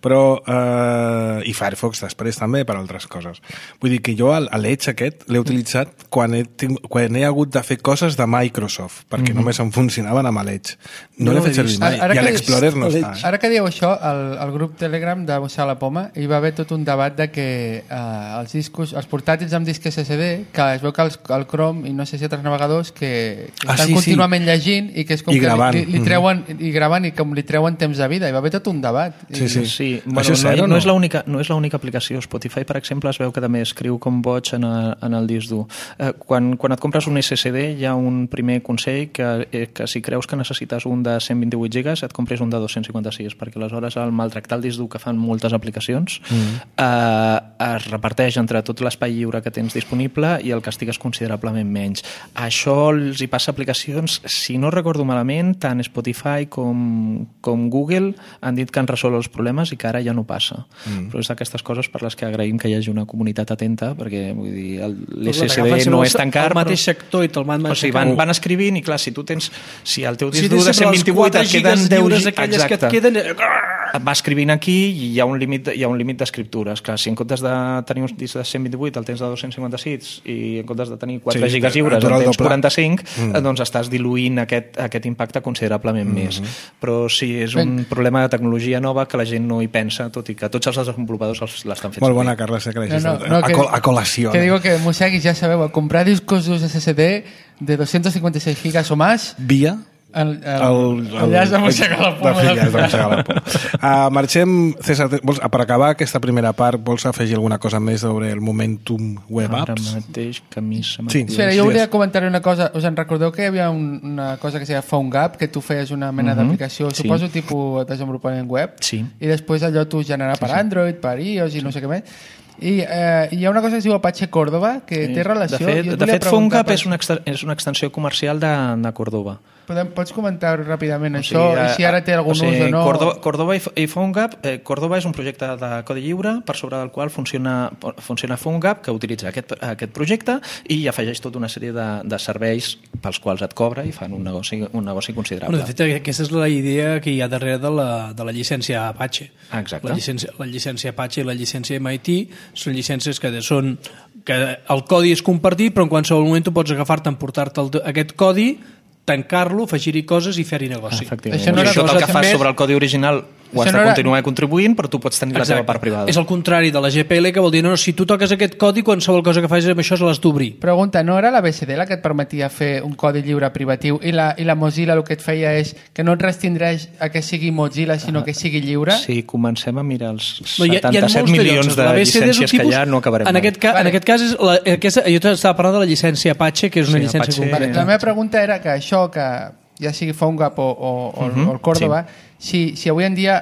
però eh, i Firefox després també per altres coses. Vull dir que jo l'Edge aquest l'he utilitzat quan he, quan he hagut de fer coses de Microsoft, perquè uh-huh. només em funcionaven amb l'Edge. No, no l'he fet servir mai, i a l'Explorer no està. Eh? Ara que dieu això, el, el grup Telegram de Mossar la Poma, hi va haver tot un debat de que eh, els discos, els portàtils amb disc S S D, que es veu que els, el Chrome i no sé si altres navegadors que, que ah, estan sí, contínuament sí. llegint i que és com I que gravant. li, li treuen i gravant i com li treuen temps de vida. Hi va haver tot un debat. Sí, sí. sí. Bueno, no, no, no, és l'única, no és l'única aplicació. Spotify, per exemple, es veu que també escriu com boig en, a, en el disc dur. Eh, quan, quan et compres un S S D hi ha un primer consell que, eh, que si creus que necessites un de cent vint-i-vuit gigas et compres un de dos-cents cinquanta-sis, perquè aleshores el maltractar el disc dur que fan moltes aplicacions mm. eh, es reparteix entre tot l'espai lliure que tens disponible i el castigues considerablement menys. Això els hi passa a aplicacions, si no recordo malament, tant Spotify com, com Google han dit que han resolt els problemes i que ara ja no passa. Mm. Però és d'aquestes coses per les que agraïm que hi hagi una comunitat atenta, perquè vull dir, l'S S D no és tan car, el mateix sector i te'l van, o sigui, van, van escrivint i clar, si tu tens si el teu disc dur de cent vint-i-vuit et queden deu gigas, que et queden... et va escrivint aquí i hi ha un límit, hi ha un límit d'escriptures. Clar, si en comptes de tenir un disc de cent vint-i-vuit el tens de dos-cents cinquanta-sis i en comptes de tenir quatre sí, gigas lliures el tens quaranta-cinc, mm. doncs estàs diluint aquest, aquest impacte considerablement mm -hmm. més. Però sí, és un ben. problema de tecnologia nova que la gent no hi pensa, tot i que tots els desenvolupadors l'estan fent. Molt bona, Carles, que l'hagis no, no, no, a, col a col·lació. Que digo que, Mossegui, ja sabeu, a comprar discos S S D de doscientos cincuenta y seis gigas o más... Via... El, el, el, el llaç de mossegar la poma. El llaç de mossegar la poma. Uh, marxem, César, vols, per acabar aquesta primera part, vols afegir alguna cosa més sobre el Momentum Web Apps? Ara mateix que a mi se m'ha... Sí. Espera, jo volia comentar una cosa. Us en recordeu que hi havia un, una cosa que se deia PhoneGap, que tu feies una mena uh-huh. d'aplicació, sí. suposo, tipus desenvolupament web, sí. i després allò tu generar per sí, sí. Android, per iOS i no sé què més. I eh, hi ha una cosa que es diu Apache Córdoba que sí. té relació... De fet, de fet PhoneGap per... és, una és una extensió comercial de, de Córdoba. Podem, pots comentar ràpidament o això sigui, i si ara té algun o sigui, ús o no? Córdoba, Córdoba i PhoneGap, eh, Córdoba és un projecte de codi lliure per sobre del qual funciona, funciona PhoneGap, que utilitza aquest, aquest projecte i afegeix tota una sèrie de, de serveis pels quals et cobra i fan un negoci, un negoci considerable. Bueno, de fet, aquesta és la idea que hi ha darrere de la, de la llicència Apache. Exacte. La llicència, la llicència Apache i la llicència M I T són llicències que són que el codi és compartit, però en qualsevol moment tu pots agafar-te, emportar-te el, aquest codi, tancar-lo, afegir-hi coses i fer-hi negoci. Efectivament. Això no era tot el que fas sobre el codi original ho has de era... continuar contribuint, però tu pots tenir Exacte. la teva part privada. És el contrari de la G P L, que vol dir, no, no, si tu toques aquest codi, qualsevol cosa que facis amb això se l'has d'obrir. Pregunta, no era la B C D la que et permetia fer un codi lliure privatiu i la, i la Mozilla el que et feia és que no et restringeix a que sigui Mozilla, sinó que sigui lliure? Sí, comencem a mirar els setanta-set milions de, de llicències que hi ha, no acabarem. En aquest, ca vale. en aquest cas, és la, aquesta, jo t'estava parlant de la llicència Apache, que és una sí, llicència... Apache... Vale, la meva pregunta era que això, que ja sigui PhoneGap o, o, o, uh-huh, o el Córdoba, sí. si, si avui en dia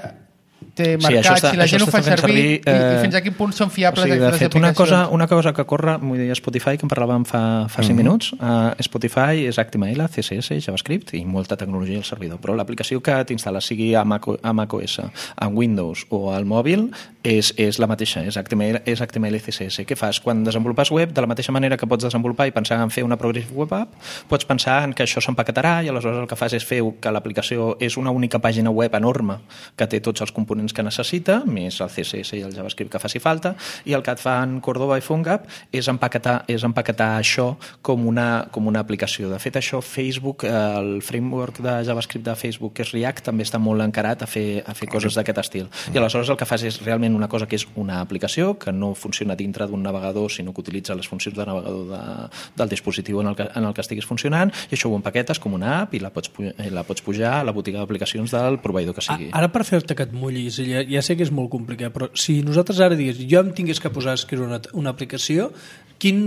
té mercat, sí, està, si la gent ho fa servir, servir eh, i, i fins a quin punt són fiables o sigui, de fet, una cosa, una cosa que corre, vull dir, Spotify, que en parlàvem fa, fa cinc mm-hmm. minuts, uh, Spotify és H T M L, C S S, JavaScript i molta tecnologia al servidor, però l'aplicació que t'instal·les sigui a, Mac, a macOS, a Windows o al mòbil és, és la mateixa, és H T M L, és H T M L i C S S. Què fas? Quan desenvolupes web, de la mateixa manera que pots desenvolupar i pensar en fer una Progressive Web App, pots pensar en que això s'empaquetarà i aleshores el que fas és fer que l'aplicació és una única pàgina web enorme que té tots els components que necessita, més el C S S i el JavaScript que faci falta, i el que et fan Cordova i PhoneGap és empaquetar, és empaquetar això com una, com una aplicació. De fet, això Facebook, el framework de JavaScript de Facebook, que és React, també està molt encarat a fer, a fer coses d'aquest estil. I aleshores el que fas és realment una cosa que és una aplicació que no funciona dintre d'un navegador, sinó que utilitza les funcions de navegador de, del dispositiu en el, que, en el que estiguis funcionant, i això ho empaquetes com una app i la pots, la pots pujar a la botiga d'aplicacions del proveïdor que sigui. Ara, per fer-te que et mullis, ja, ja sé que és molt complicat, però si nosaltres ara digués, jo em tingués que posar a escriure una, una aplicació, quin...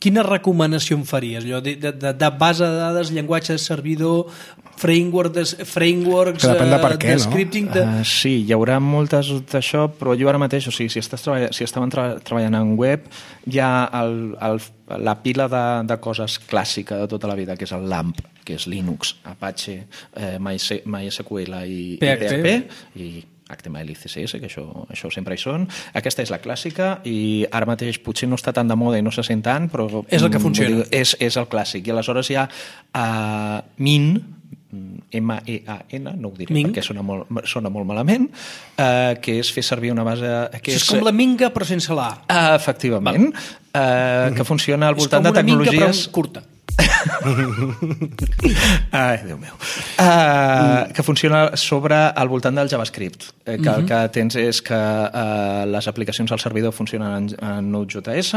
quina recomanació em faries? Allò de, de, de base de dades, llenguatge de servidor, framework de, frameworks, que depèn de per què, de scripting... No? De... Uh, sí, hi haurà moltes d'això, però jo ara mateix, o sigui, si, estàs treball... si estaven tra treballant en web, hi ha el, el, la pila de, de coses clàssica de tota la vida, que és el LAMP, que és Linux, Apache, eh, MySQL i P H P, i H T M L i C S S, que això, això sempre hi són. Aquesta és la clàssica i ara mateix potser no està tan de moda i no se sent tant, però... És el que funciona. Dir, és, és el clàssic. I aleshores hi ha uh, Min, M E A N, no ho diré Ming. Perquè sona molt, sona molt malament, uh, que és fer servir una base... Que és, és com la Minga però sense l'A. Uh, efectivament. Uh, que funciona al voltant de tecnologies... És com una Minga però curta. Ai, Déu meu. Uh, que funciona sobre al voltant del JavaScript. Eh, que uh -huh. el que tens és que uh, les aplicacions al servidor funcionen en, en Node.js,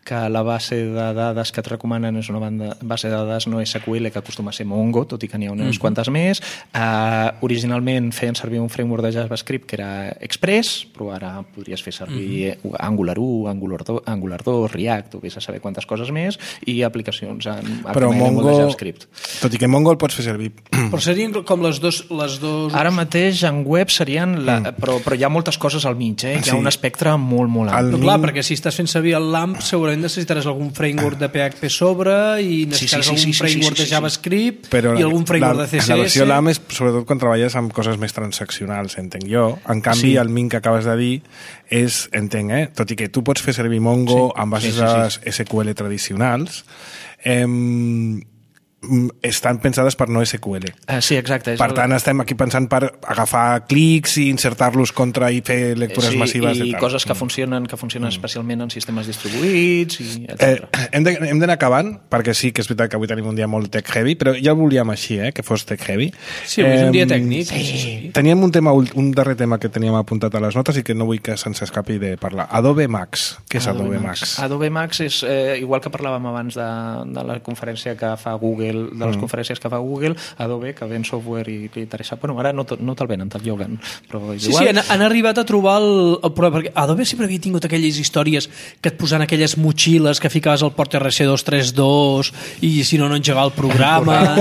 que la base de dades que et recomanen és una banda, base de dades no S Q L que acostuma a ser Mongo, tot i que n'hi ha unes uh -huh. quantes més. Uh, originalment feien servir un framework de JavaScript que era Express, però ara podries fer servir uh -huh. Angular u, Angular dos, Angular dos, React, o vés a saber quantes coses més, i aplicacions en però Mongo, tot i que Mongo el pots fer servir. Però serien com les dos... Les dos... Ara mateix en web serien... La, mm. però, però hi ha moltes coses al mig, eh? Hi ha sí. un espectre molt, molt ampli. Però clar, perquè si estàs fent servir el LAMP segurament necessitaràs algun framework de P H P sobre i necessitaràs sí, sí, sí, algun sí, framework sí, sí, sí, de JavaScript però i algun framework la, de C S S. La versió LAMP és sobretot quan treballes amb coses més transaccionals, entenc jo. En canvi, sí. el Min que acabes de dir és, entenc, eh? Tot i que tu pots fer servir Mongo sí. amb bases sí, sí, sí. S Q L tradicionals, eh, estan pensades per no S Q L. Uh, sí, exacte. Per tant, el... estem aquí pensant per agafar clics i insertar-los contra i fer lectures sí, massives. I coses que funcionen que funcionen mm. especialment en sistemes distribuïts, i etcètera. Eh, hem de, hem d'anar acabant, perquè sí que és veritat que avui tenim un dia molt tech-heavy, però ja el volíem així, eh, que fos tech-heavy. Sí, avui és un dia tècnic. Sí. Sí. Teníem un, tema, un darrer tema que teníem apuntat a les notes i que no vull que se'ns escapi de parlar. Adobe Max. Què és Adobe, Adobe Max? Max? Adobe Max és, eh, igual que parlàvem abans de, de la conferència que fa Google, de les mm. conferències que fa Google, Adobe, que ven software i li interessa. Bueno, ara no, no te'l venen, te'l lloguen. Però sí, igual... sí, han, han arribat a trobar el, el problema, perquè Adobe sempre havia tingut aquelles històries que et posaven aquelles motxilles que ficaves al port R C dos trenta dos i si no, no engegava el programa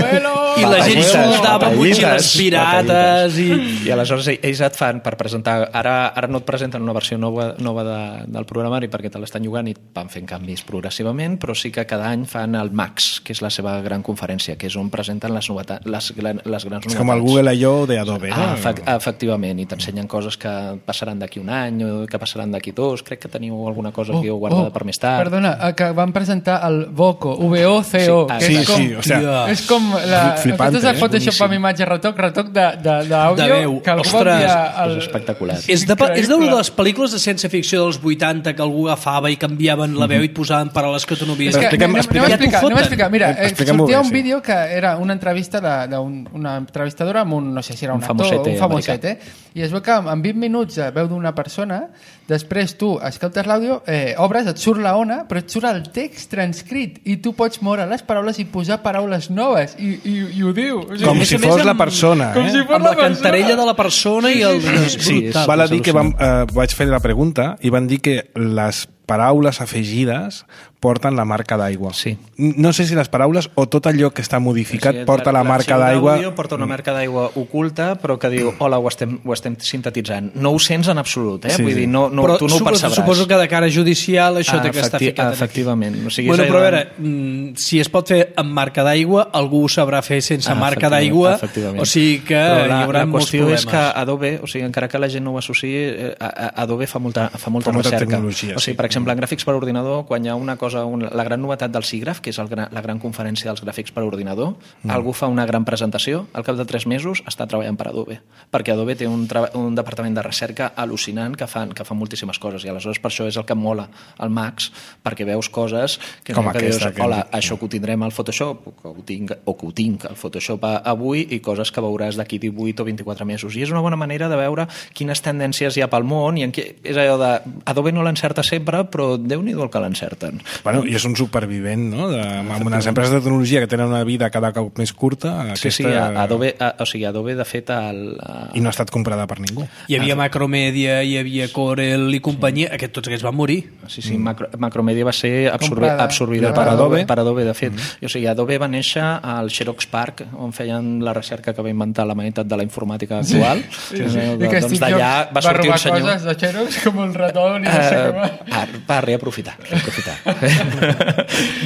i la gent soldava motxilles pirates i... I aleshores ells et fan per presentar, ara, ara no et presenten una versió nova, nova de, del programari perquè te l'estan llogant i van fent canvis progressivament, però sí que cada any fan el Max, que és la seva gran conferència, que és on presenten les, novetats, les, les grans novetats. És com el Google I O d'Adobe, no? Ah, efect, efectivament, i t'ensenyen coses que passaran d'aquí un any o que passaran d'aquí dos. Crec que teniu alguna cosa aquí oh, guardada oh, per més tard. Perdona, que van presentar el Voco, V O C O, sí, que sí, és com, sí, o sea, és com la, flipante, el que t'has Photoshop amb imatge retoc, retoc d'àudio, que algú va enviar... El... És espectacular. És de, és de, de les pel·lícules de ciència ficció dels vuitanta que algú agafava i canviaven la veu i et posaven paraules que tu no havies... És que, anem, anem, a explicar, anem a explicar, mira, eh, sortia un vídeo que era una entrevista d'una entrevistadora amb un, no sé si era un, un actor, famosete, un famoset, eh? I es veu que en vint minuts veu d'una persona, després tu escoltes l'àudio, eh, obres, et surt la ona, però et surt el text transcrit i tu pots moure les paraules i posar paraules noves i, i, i ho diu. O sigui, com si fos la persona, com eh? Si fos amb la, la cantarella de la persona i el... Sí, sí, val a dir que vam, eh, vaig fer la pregunta i van dir que les paraules afegides porten la marca d'aigua. Sí. No sé si les paraules o tot allò que està modificat sí, porta la, la marca d'aigua. L'arxiu d'àudio porta una marca d'aigua oculta, però que diu, hola, ho estem, ho estem sintetitzant. No ho sents en absolut, eh? Sí, Vull sí. dir, no, no, però tu no ho suposo, percebràs. suposo que de cara judicial això Ah, té que estar efecti- ficat. efectivament. O sigui, bueno, és però a allò- veure, mm, si es pot fer amb marca d'aigua, algú ho sabrà fer sense Ah, marca efectivament, d'aigua, efectivament. o sigui que Però hi la, haurà la molts qüestió problemes. és que Adobe, o sigui, encara que la gent no ho associï, eh, a- a- Adobe fa molta, fa molta Fa molta recerca. tecnologia, O sigui, sí. per exemple, en gràfics per ordinador, quan hi ha una cosa, una, la gran novetat del SIGGRAPH, que és el gran, la gran conferència dels gràfics per ordinador, mm. algú fa una gran presentació, al cap de tres mesos està treballant per Adobe, perquè Adobe té un, un departament de recerca al·lucinant que fan, que fan moltíssimes coses, i aleshores per això és el que em mola el Max, perquè veus coses que, Com que aquesta, dius, que hola, hem dit. això que ho tindrem al Photoshop, o que ho tinc, o que ho tinc al Photoshop a- avui, i coses que veuràs d'aquí divuit o vint-i-quatre mesos. I és una bona manera de veure quines tendències hi ha pel món, i en què, és allò de, Adobe no l'encerta sempre, però Déu-n'hi-do el que l'encerten. Bueno, i és un supervivent, no? De, amb unes empreses de tecnologia que tenen una vida cada cop més curta. Sí, sí, aquesta... Adobe, a, o sigui, Adobe, de fet, el, I no ha estat comprada per ningú. Hi havia Macromedia, hi havia Corel i companyia, sí. Aquest, tots aquests van morir. Sí, sí, Macro, Macromedia va ser absorbi, Comprada. absorbida Per per Adobe. Adobe, per Adobe, de fet. Mm. O sigui, Adobe va néixer al Xerox Park, on feien la recerca que va inventar la meitat de la informàtica actual. Sí, sí. Eh, I que doncs Steve d'allà Jobs va sortir robar un senyor... coses de Xerox com el ratón i no sé què va. Uh, va, va reaprofitar, reaprofitar.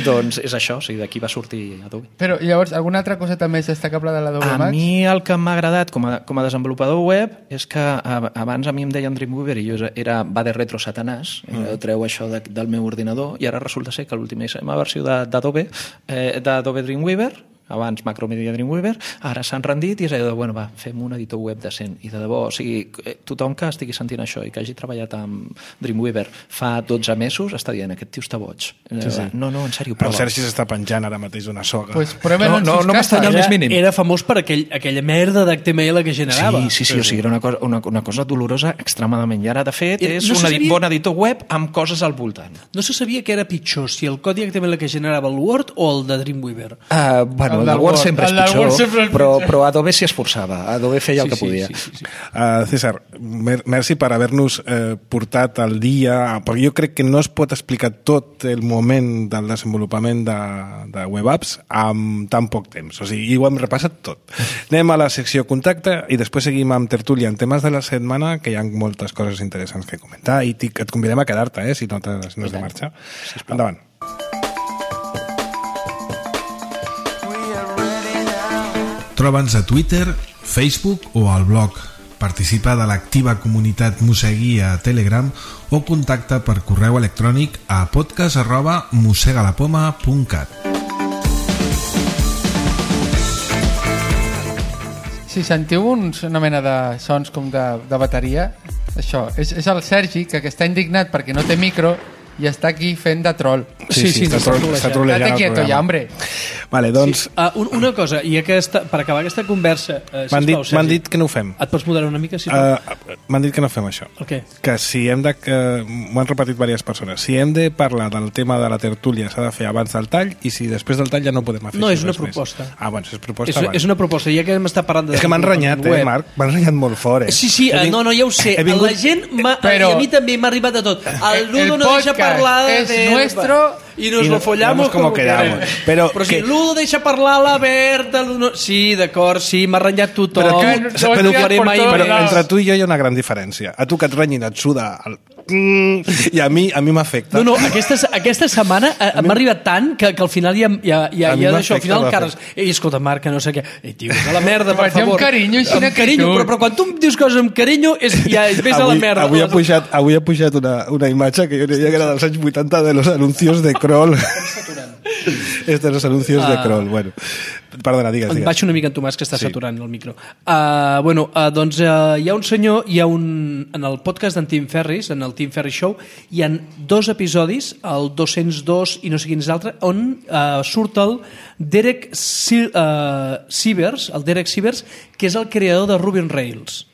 Doncs és això, o sigui, d'aquí va sortir Adobe. Però llavors, alguna altra coseta més destacable de l'Adobe A Max? mi el que m'ha agradat com a, com a desenvolupador web és que a, abans a mi em deien Dreamweaver i jo era va de retro satanàs, mm. treu això de, del meu ordinador, i ara resulta ser que l'última versió de- d'Adobe eh, d'Adobe Dreamweaver, abans Macromedia Dreamweaver, ara s'han rendit i és allò de, bueno, va, fem un editor web decent. I de debò, o sigui, eh, tothom que estigui sentint això i que hagi treballat amb Dreamweaver fa dotze mesos està dient, aquest tio està boig. Sí, sí. No, no, en sèrio, El prova. Sergi s'està penjant ara mateix d'una soga. Pues prueben No, en no, sus no m'estranya el casas. més mínim. Era famós per aquell, aquella merda d'H T M L que generava. Sí, sí, sí, o sigui, era una cosa, una, una cosa dolorosa extremadament. I ara, de fet, Era- és no un se edi- sabia- bon editor web amb coses al voltant. No se sabia que era pitjor, si el codi H T M L que generava el Word o el de Dreamweaver. Uh, bueno, El el, del del Word Word. sempre és El del pitjor, Word sempre és però, pitjor. però Adobe s'hi esforçava. Adobe feia el que sí, podia. Sí, sí, sí. Uh, César, mer merci per haver-nos eh, portat al dia, perquè jo crec que no es pot explicar tot el moment del desenvolupament de, de web apps amb tan poc temps. O sigui, i ho hem repassat tot. Anem a la secció contacte i després seguim amb tertúlia en temes de la setmana, que hi ha moltes coses interessants que comentar, i et convidem a quedar-te, eh, si no, si no has de marxar. Endavant. Troba'ns a Twitter, Facebook o al blog. Participa de l'activa comunitat Mosegui a Telegram o contacta per correu electrònic a podcast arroba mosegalapoma punt cat. Si sentiu uns, una mena de sons com de, de bateria, això, és, és el Sergi, que, que està indignat perquè no té micro i està aquí fent de troll. Sí, sí, està, tro està trollejant Date el quieto programa. ja, hombre. Vale, doncs, Sí. Uh, un, una cosa, i aquesta, per acabar aquesta conversa... Uh, m'han dit, m'han dit que no ho fem. Et pots moderar una mica, sisplau? Uh, m'han dit que no fem això. El què? Que si hem de... Que, m'ho han repetit diverses persones. Si hem de parlar del tema de la tertúlia s'ha de fer abans del tall, i si després del tall ja no podem fer No, això és una res més. proposta. Ah, bueno, si és proposta, És, vale. és una proposta, ja que hem estat parlant de... És que m'han renyat, eh, Marc? M'han renyat molt fort, eh? Sí, sí, He uh, ving- no, no, ja ho sé. He vingut... La gent, m'ha- Però- i a mi també m'ha arribat de tot. El Ludo El no deixa podcast parlar es de... nuestro y nos y lo no- follamos vemos cómo como quedamos. queremos. Pero Però que- si Ludo deixa parlar la Berta... Ludo... Sí, d'acord, sí, m'ha renyat tothom. Però, que tu, no- però, no però, faré mai però més. entre tu i jo hi ha una gran diferència. A tu que et renyin et suda el... i a mi a mi m'afecta. No, no, aquesta, aquesta setmana eh, m'ha arribat tant que, que al final ja, ja, ja, A mi ja d'això, al m'afecta, final el m'afecta. Carles, ei, escolta, Marc, que no sé què, ei, tio, és a la merda, per Vaig amb favor. carinyo, així amb que carinyo, tu. però, però quan tu em dius coses amb carinyo, és, ja és ves a la merda. Avui ha pujat, avui ha pujat una, una imatge que jo diria que era dels anys vuitanta de los anuncios de Kroll. És de los anuncios de Ah. Kroll. Bueno, perdona, digues, Em digues. baixo una mica en Tomàs, que està Sí. saturant el micro. Uh, bueno, uh, doncs uh, hi ha un senyor, hi ha un... En el podcast d'en Tim Ferris, en el Tim Ferris Show, hi ha dos episodis, el dos-cents dos i no sé quin és l'altre, on uh, surt el Derek Si- uh, Sivers, el Derek Sivers, que és el creador de Ruby on Rails.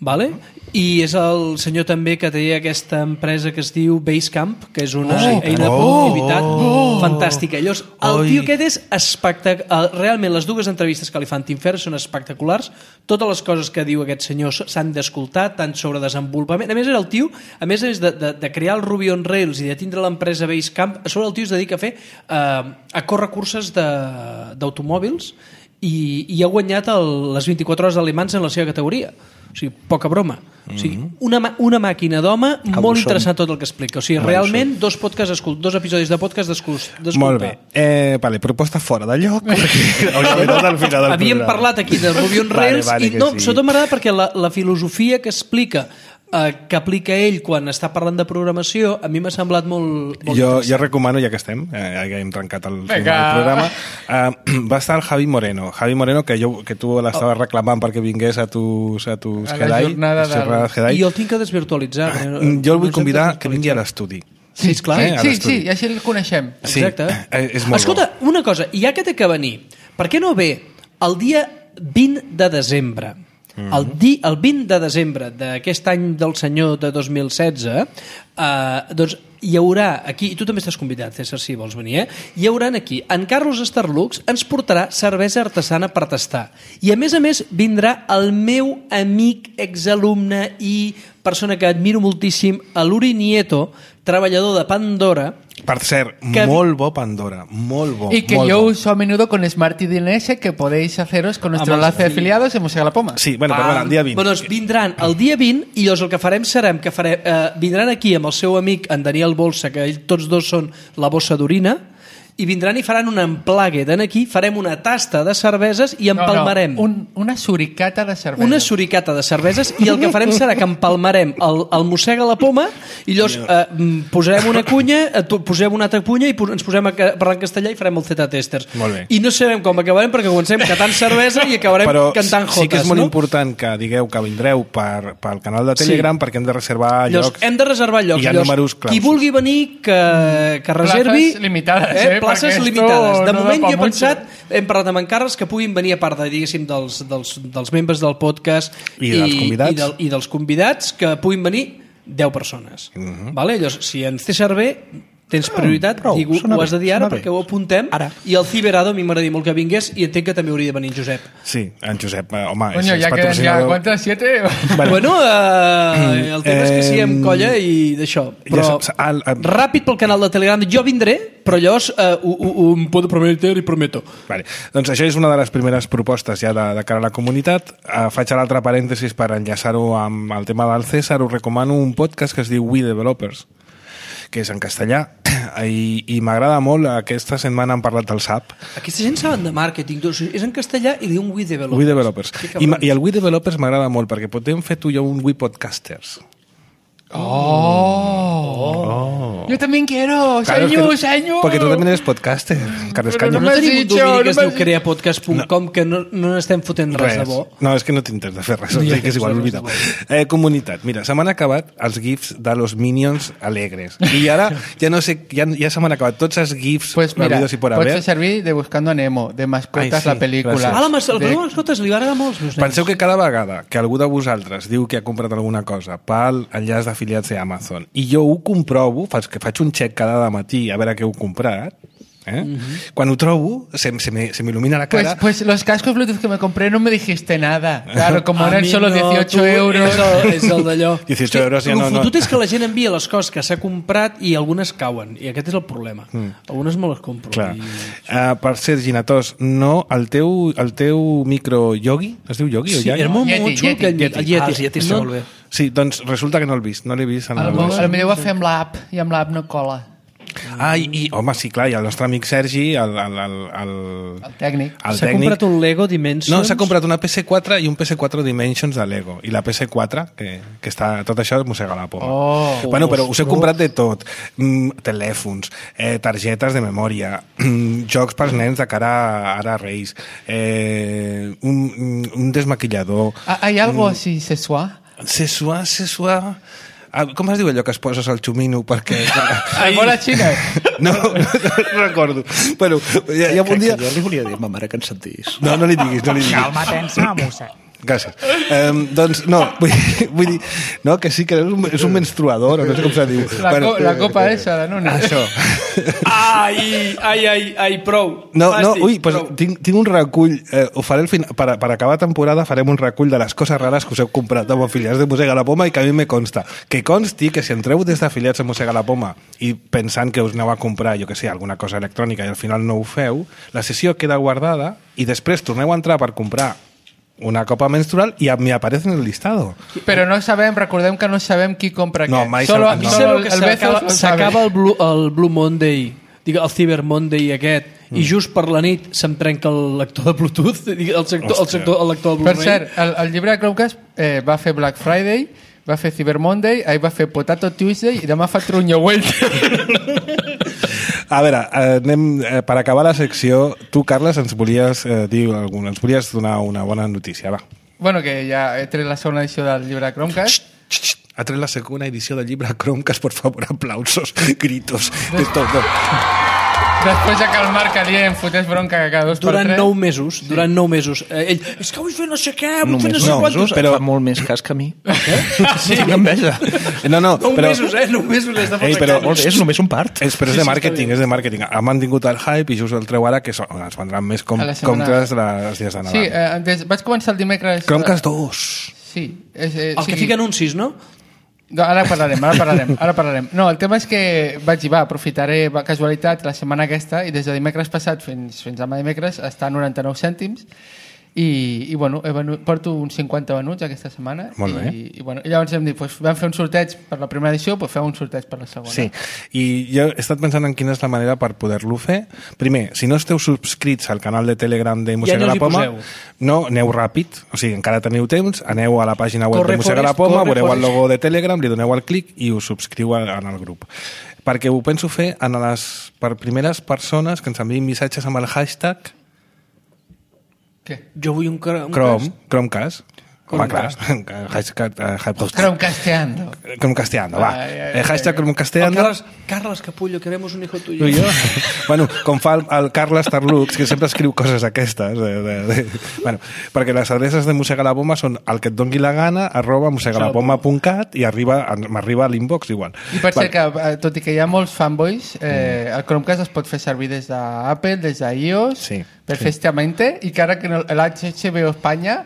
vale? I és el senyor també que té aquesta empresa que es diu Basecamp, que és una oh, eina de productivitat oh, oh, fantàstica. Llavors, el oi. tio aquest és espectacular. Realment, les dues entrevistes que li fan Tim Ferriss són espectaculars. Totes les coses que diu aquest senyor s'han d'escoltar, tant sobre desenvolupament. A més, era el tio, a més és de, de, de crear el Ruby on Rails i de tindre l'empresa Basecamp, a sobre el tio es dedica a fer eh, a córrer curses d'automòbils i, i ha guanyat el, les vint-i-quatre hores alemans en la seva categoria. O sigui, poca broma. O sigui, una, una màquina d'home, molt interessant tot el que explica. O sigui, realment, dos, podcast escult, dos episodis de podcast d'escoltar. Molt bé. Eh, vale, proposta fora de lloc. al final del Havíem parlat aquí de Ruby on Rails vale, vale, i no, sí. Sobretot m'agrada perquè la, la filosofia que explica eh, que aplica ell quan està parlant de programació, a mi m'ha semblat molt, molt jo, jo recomano, ja que estem, eh, ja hem trencat el, el programa, eh, va estar el Javi Moreno. Javi Moreno, que, jo, que tu l'estaves oh. reclamant perquè vingués a tus, a tus a Jedi. Del... I jo el tinc que desvirtualitzar. Eh? Jo el vull no convidar que vingui a l'estudi. Sí, esclar. Eh, sí, sí, sí, així el coneixem. Sí, exacte. Eh, és molt Escolta, bo. Una cosa, ja que té que venir, per què no ve el dia vint de desembre? Mm-hmm. El, di, el vint de desembre d'aquest any del senyor de dos mil setze, eh, doncs hi haurà aquí, i tu també estàs convidat, César, si vols venir, eh? Hi haurà aquí, en Carlos Starlux ens portarà cervesa artesana per tastar. I a més a més vindrà el meu amic, exalumne i persona que admiro moltíssim, l'Uri Nieto, treballador de Pandora. Per cert, que... molt bo Pandora, molt bo. Y que molt yo bo. uso a menudo con Smart I D N S, que podéis haceros con nuestro enlace de afiliados en Musega la Poma. Sí, bueno, ah, però el dia vint. Bueno, doncs vindran el dia vint i llavors el que farem serà que farem, eh, vindran aquí amb el seu amic, en Daniel Bolsa, que ells tots dos són la bossa d'orina, i vindran i faran un emplague d'en aquí, farem una tasta de cerveses i empalmarem. No, no, un, una suricata de cerveses. Una suricata de cerveses i el que farem serà que empalmarem el, el mossega a la poma i llavors eh, posarem una cunya, eh, posem una altra cunya i pos, ens posem a parlar en castellà i farem el Z-testers. I no sabem com acabarem perquè comencem cantant cervesa i acabarem però cantant jotes. Sí que és molt no? important que digueu que vindreu per, pel canal de Telegram sí. perquè hem de reservar llavors, llocs. Hem de reservar llocs. I hi ha números claus. Qui vulgui venir que, que reservi... Places limitades, eh? eh places limitades. De no moment jo he mucho. pensat, hem parlat amb encarres que puguin venir a part de, diguéssim, dels, dels, dels membres del podcast i, dels convidats. i, del, i dels convidats, que puguin venir deu persones. Uh-huh. Vale? Llavors, si ens té servei, tens prioritat, prou, digo, ho has de dir ara perquè ho apuntem. Ara. I el Ciberado a mi m'agradaria molt que vingués i entenc que també hauria de venir en Josep. Sí, en Josep, eh, home, Coño, és, ja és queden ja, ¿cuántas? ¿Siete? Bueno, bueno eh, el tema és que siguem colla i d'això. Però ja, al, al... ràpid pel canal de Telegram. Jo vindré, però llavors eh, ho, ho, ho em puedo prometer i prometo. Vale. Doncs això és una de les primeres propostes ja de, de cara a la comunitat. Uh, faig l'altre parèntesis per enllaçar-ho amb el tema del César. Us recomano un podcast que es diu We Developers, que és en castellà, i, i m'agrada molt. Aquesta setmana han parlat del S A P. Aquesta gent saben de màrqueting, doncs és en castellà i diuen We Developers. We Developers. I, I el We Developers m'agrada molt perquè podem fer tu i jo un We Podcasters. Oh. oh. Yo también quiero. Claro, señor, es que, señor. Porque tú también eres podcaster, Carles Pero Caño. No tenim un domini que es no diu crear podcast punt com no. que no, no n'estem fotent res, res de bo. No, és que no t'intentes de fer res, no, que és igual, oblida. Eh, comunitat, mira, se m'han acabat els gifs de los Minions alegres. I ara ja no sé, ja, ja se m'han acabat tots els gifs pues mira, habidos y por haber. Pots fer servir de Buscando a Nemo, de Mascotas, Ai, sí, la pel·lícula. Ah, la, mas- de... la mascotes li va agradar molt. Penseu que cada vegada que algú de vosaltres diu que ha comprat alguna cosa pel enllaç d'afiliats d'Amazon i jo ho comprovo, faig, que faig un check cada matí a veure què heu comprat, ¿eh? Uh-huh. Cuando ho trobo, se, se, me, se me ilumina la cara. Pues, pues los cascos Bluetooth que me compré no me dijiste nada. Claro, como eran mi solo no, dieciocho euros. És el, és el d'allò. dieciocho euros ja no... El no. fotut és que la gent envia les coses que s'ha comprat i algunes cauen. I aquest és el problema. Mm. Algunes me les compro. Clar. I... Uh, per ser Ginatós, no, el teu, el teu micro Yogi, es diu Yogi sí, o Yagi? era molt, Yeti, molt xulo. Yeti, El Yeti. Yeti. Ah, els Yetis no, molt bé. Sí, doncs resulta que no l'he vist, no l'he vist. En A el... lo millor ho va fer amb l'app i amb l'app no cola. Ah, i, i, home, sí, clar, i el nostre amic Sergi, el, el, el, el, El tècnic. el S'ha tècnic... comprat un Lego Dimensions. No, s'ha comprat una P S quatre i un P S quatre Dimensions de Lego. I la P S quatre, que, que està... Tot això mossega la poma. Oh. Bueno, però us he comprat de tot. Mm, telèfons, eh, targetes de memòria, mm, jocs pels nens de cara a, ara a Reis, eh, un, un desmaquillador... Ah, ¿hay algo mm, así sexual? Sexual, sexual... Ah, com es diu allò que es poses al xumino perquè... Ai, bola xina? No, no, no recordo. Bueno, hi ha, hi ha un dia... Que jo li volia dir a ma mare que ens sentís. No, no li diguis, no li diguis. Calma, tensa, mossa. Gràcies. Um, doncs, no, vull, vull dir, no, que sí que és un, és un menstruador, o no sé com se diu. La, bueno, co la copa eh, esa, la nona. Això. Ai, ai, ai, ai, prou. No, no, Fàstic, ui, pues, prou. tinc, tinc un recull, eh, ho faré al final, per, per acabar temporada farem un recull de les coses rares que us heu comprat amb afiliats de Mossega la Poma i que a mi me consta. Que consti que si entreu des d'afiliats de Mossega la Poma i pensant que us aneu a comprar, jo que sé, alguna cosa electrònica i al final no ho feu, la sessió queda guardada i després torneu a entrar per comprar una copa menstrual y me aparece en el listado. Però no sabem, recordem que no sabem qui compra no, què. Mai Solo, sab... A mi no. sabeu que el s'acaba Bezos s'acaba el, Blue, el Blue Monday, digue, el Cyber Monday aquest, mm. i just per la nit se'm trenca el lector de Bluetooth, digue, el, sector, el, sector, el lector de Blu-ray. Per cert, el, el llibre de Chromecast eh, va fer Black Friday, va fer Cyber Monday, ahir va fer Potato Tuesday i demà fa Trunyo Welter. A veure, eh, anem, eh, per acabar la secció, tu, Carles, ens volies eh, dir alguna, ens volies donar una bona notícia, va. Bueno, que ja he tret la segona edició del llibre de Chromecast. Xxt, xxt, ha tret la segona edició del llibre Chromecast, por favor, aplausos, gritos, de tot. Després ja que el Marc Alier em fotés bronca cada dos Durant per tres. nou mesos, sí. durant nou mesos. Eh, ell, és que vull fer no sé què, vull fer no sé no, quantos. però fa molt més cas que a mi. Eh? Sí, tinc enveja. No, no, Nou però... mesos, eh? Nou mesos les de Ei, però, Molt bé, és només un part. És, però és de màrqueting, és de màrqueting. Ha mantingut el hype i just el treu ara que so, ens vendran més com, A la setmana- comptes de les dies de Nadal. Sí, eh, des, vaig començar el dimecres... Chromecast dos. Sí. És, eh, El que fica anuncis, no? No, ara parlarem, ara parlarem, ara parlarem. No, el tema és que vaig dir, va, aprofitaré va, casualitat la setmana aquesta i des de dimecres passat fins, fins a dimecres està a noranta-nou cèntims i, i bueno, he venut, porto uns cinquanta venuts aquesta setmana. Molt bé. I, i, bueno, i llavors hem dit, pues, vam fer un sorteig per la primera edició, pues fem un sorteig per la segona. Sí, i jo he estat pensant en quina és la manera per poder-lo fer. Primer, si no esteu subscrits al canal de Telegram de Mossega Ja no la us hi Poma, poseu. no, aneu ràpid, o sigui, encara teniu temps, aneu a la pàgina web Corre, de Mossega la Forest, Poma, corre, veureu el Forest. logo de Telegram, li doneu al clic i us subscriu en el grup. Perquè ho penso fer en les, per primeres persones que ens enviïn missatges amb el hashtag Què? Jo vull un, cr un Chrome, Chromecast. Home, clar, Chromecast. hashtag, eh, hashtag- Chromecasteando. Chromecasteando, va. Ai, ai, Eh, hashtag El Chromecasteando. Carles, Carles Capullo, queremos un hijo tuyo. Tu i jo. Bueno, com fa el, el Carles Tarlux, que sempre escriu coses aquestes. De, de, de, bueno, perquè les adreces de Mossega la Poma són el que et dongui la gana, arroba mossegalapoma punt cat i arriba, m'arriba a l'inbox igual. I per cert que, eh, tot i que hi ha molts fanboys, eh, el Chromecast es pot fer servir des d'Apple, des d'iOS, Sí, perfectamente, i que ara que no- l'H B O Espanya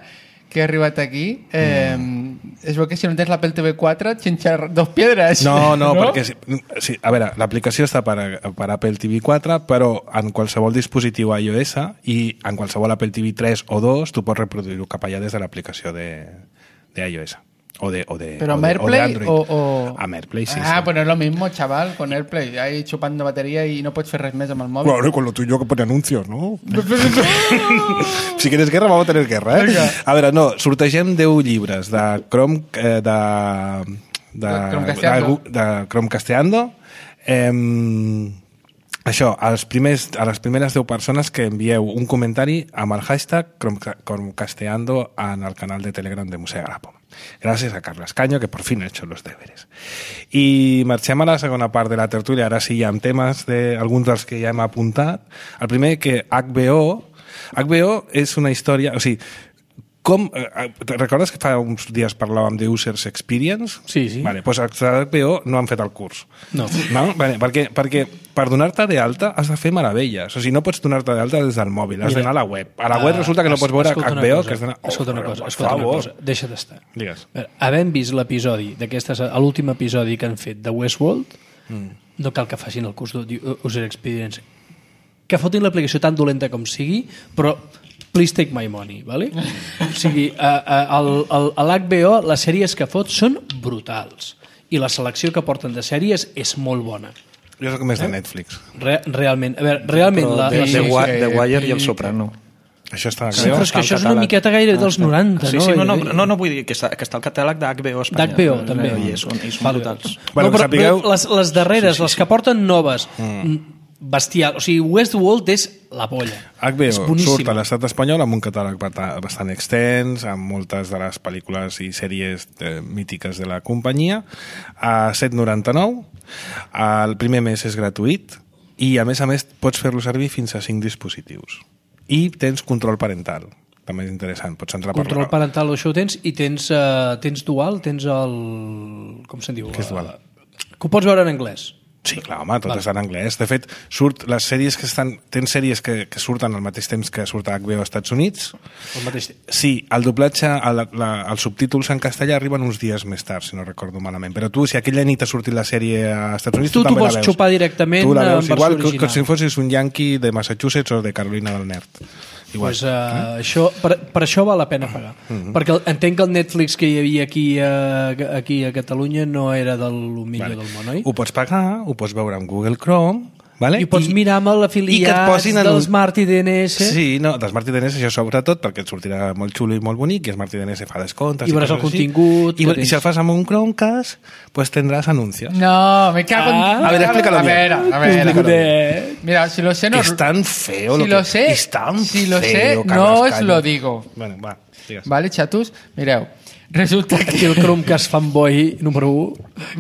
que ha arribat aquí, eh, mm. es veu que si no tens l'Apple T V quatre, xinxar dos piedres. No, no, no? perquè... Sí, sí, a veure, l'aplicació està per, per Apple T V quatre, però en qualsevol dispositiu iOS i en qualsevol Apple T V tres o dos tu pots reproduir-ho cap allà des de l'aplicació de, de iOS. O de, o de, Pero o de, amb o de AirPlay Android. o, o... Amb AirPlay, sí. Ah, sí. pues no es lo mismo, chaval, con AirPlay. Ahí chupando batería y no pots fer res més amb el mòbil. Claro, con lo tuyo que pone anuncios, ¿no? Si quieres guerra, vamos a tener guerra, eh? Vinga. A veure, no, sortegem deu llibres de Chrome... Eh, de, de, De Chromecasteando. de, de Chromecasteando. Eh, això, als primers, a les primeres deu persones que envieu un comentari amb el hashtag Chrome- Chromecasteando en el canal de Telegram de Mossega la Poma. Gracias a Carles Caño, que por fin ha hecho los deberes. I marxem a la segona part de la tertúlia, ara sí, amb temes de alguns dels que ja hem apuntat. El primer, que H B O... H B O és una història... O sigui, com... Eh, recordes que fa uns dies parlàvem de Users Experience? Sí, sí. Vale, doncs els de H B O no han fet el curs. No. No? Vale, perquè, perquè per donar-te d'alta has de fer meravelles. O sigui, no pots donar-te d'alta des del mòbil, has Mira, d'anar a la web. A la web Ah, resulta que no es- pots veure escolta H una B O. cosa, Que has d'anar... escolta una però, cosa, per escolta una favor. cosa, deixa d'estar. Digues. A veure, havent vist l'episodi d'aquestes, l'últim episodi que han fet de Westworld, mm. no cal que facin el curs d'User Experience. Que fotin l'aplicació tan dolenta com sigui, però please take my money, ¿vale? O sigui, a, a, el, el, a l'H B O les sèries que fot són brutals i la selecció que porten de sèries és molt bona. Jo soc més de Netflix. Re, realment, a veure, realment Però la, The, la, The, sí, Wi- sí, The Wire sí, i El Soprano. Això està sí, però és que això és una miqueta gaire dels noranta, Sí, no? sí, no, no, no, no vull dir que està, que està al catàleg d'H B O Espanya. D'H B O, també. I són, i són Vale. brutals. Bueno, no, però, que sapigueu- però les, les darreres, sí, sí, les que porten noves, mm. bestial. O sigui, Westworld és la polla. H B És O boníssima. surt a l'estat espanyol amb un catàleg bata- bastant extens, amb moltes de les pel·lícules i sèries eh, mítiques de la companyia, a set coma noranta-nou. El primer mes és gratuït i, a més a més, pots fer-lo servir fins a cinc dispositius. I tens control parental. també és interessant, pots entrar per... Control parental, això ho tens, i tens, uh, tens dual, tens el... com se'n diu? Què és dual? Que ho pots veure en anglès. Sí, clar, home, tot vale. Està en anglès. De fet, surt les sèries que estan... Tens sèries que, que surten al mateix temps que surt a H B O als Estats Units. Al mateix temps. Sí, el doblatge, el, la, els subtítols en castellà arriben uns dies més tard, si no recordo malament. Però tu, si aquella nit ha sortit la sèrie als Estats Units, tu, tu també la veus. Tu t'ho pots xupar directament tu la veus en versió igual original. que, que si fossis un yankee de Massachusetts o de Carolina del Nord. Igual. Pues, uh, eh? això, per, per això val la pena pagar. Uh-huh. Perquè entenc que el Netflix que hi havia aquí a, aquí a Catalunya no era del millor vale. Del món, oi? Ho pots pagar, ho pots veure amb Google Chrome, vale? I ho pots I, mirar amb l'afiliats del un... Smart I D N S. Sí, no, del Smart I D N S això sobretot perquè et sortirà molt xulo i molt bonic i el Smart I D N S fa descomptes. I veuràs el contingut. I, I si el fas amb un Chromecast, pues tendrás anuncios. No, me cago en... Ah, a ver, explícalo a ver, bien. A ver, a ver. Mira, si lo sé... No... Es tan feo si lo, lo que... sé, es tan si lo feo, sé, no os lo digo. Bueno, va, digues. Vale, xatos? Mireu, resulta que... Aquí el Chromecast fanboy número u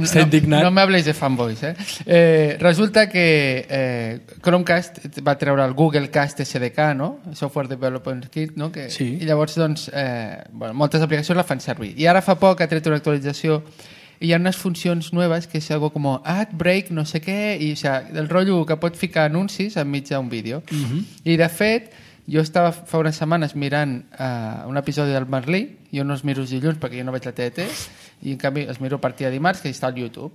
està no, indignat. No me habléis de fanboys, eh? eh resulta que eh, Chromecast va treure el Google Cast S D K, no? Software Development Kit, no? Que, sí. I llavors, doncs, eh, bueno, moltes aplicacions la fan servir. I ara fa poc ha tret una actualització i hi ha unes funcions noves que és algo com ad break, no sé què, i o sea, el rotllo que pot ficar anuncis enmig d'un vídeo. Uh -huh. I de fet, jo estava fa unes setmanes mirant uh, un episodi del Merlí, jo no els miro els dilluns perquè jo no veig la T N T, i en canvi els miro a partir de dimarts, que està al YouTube.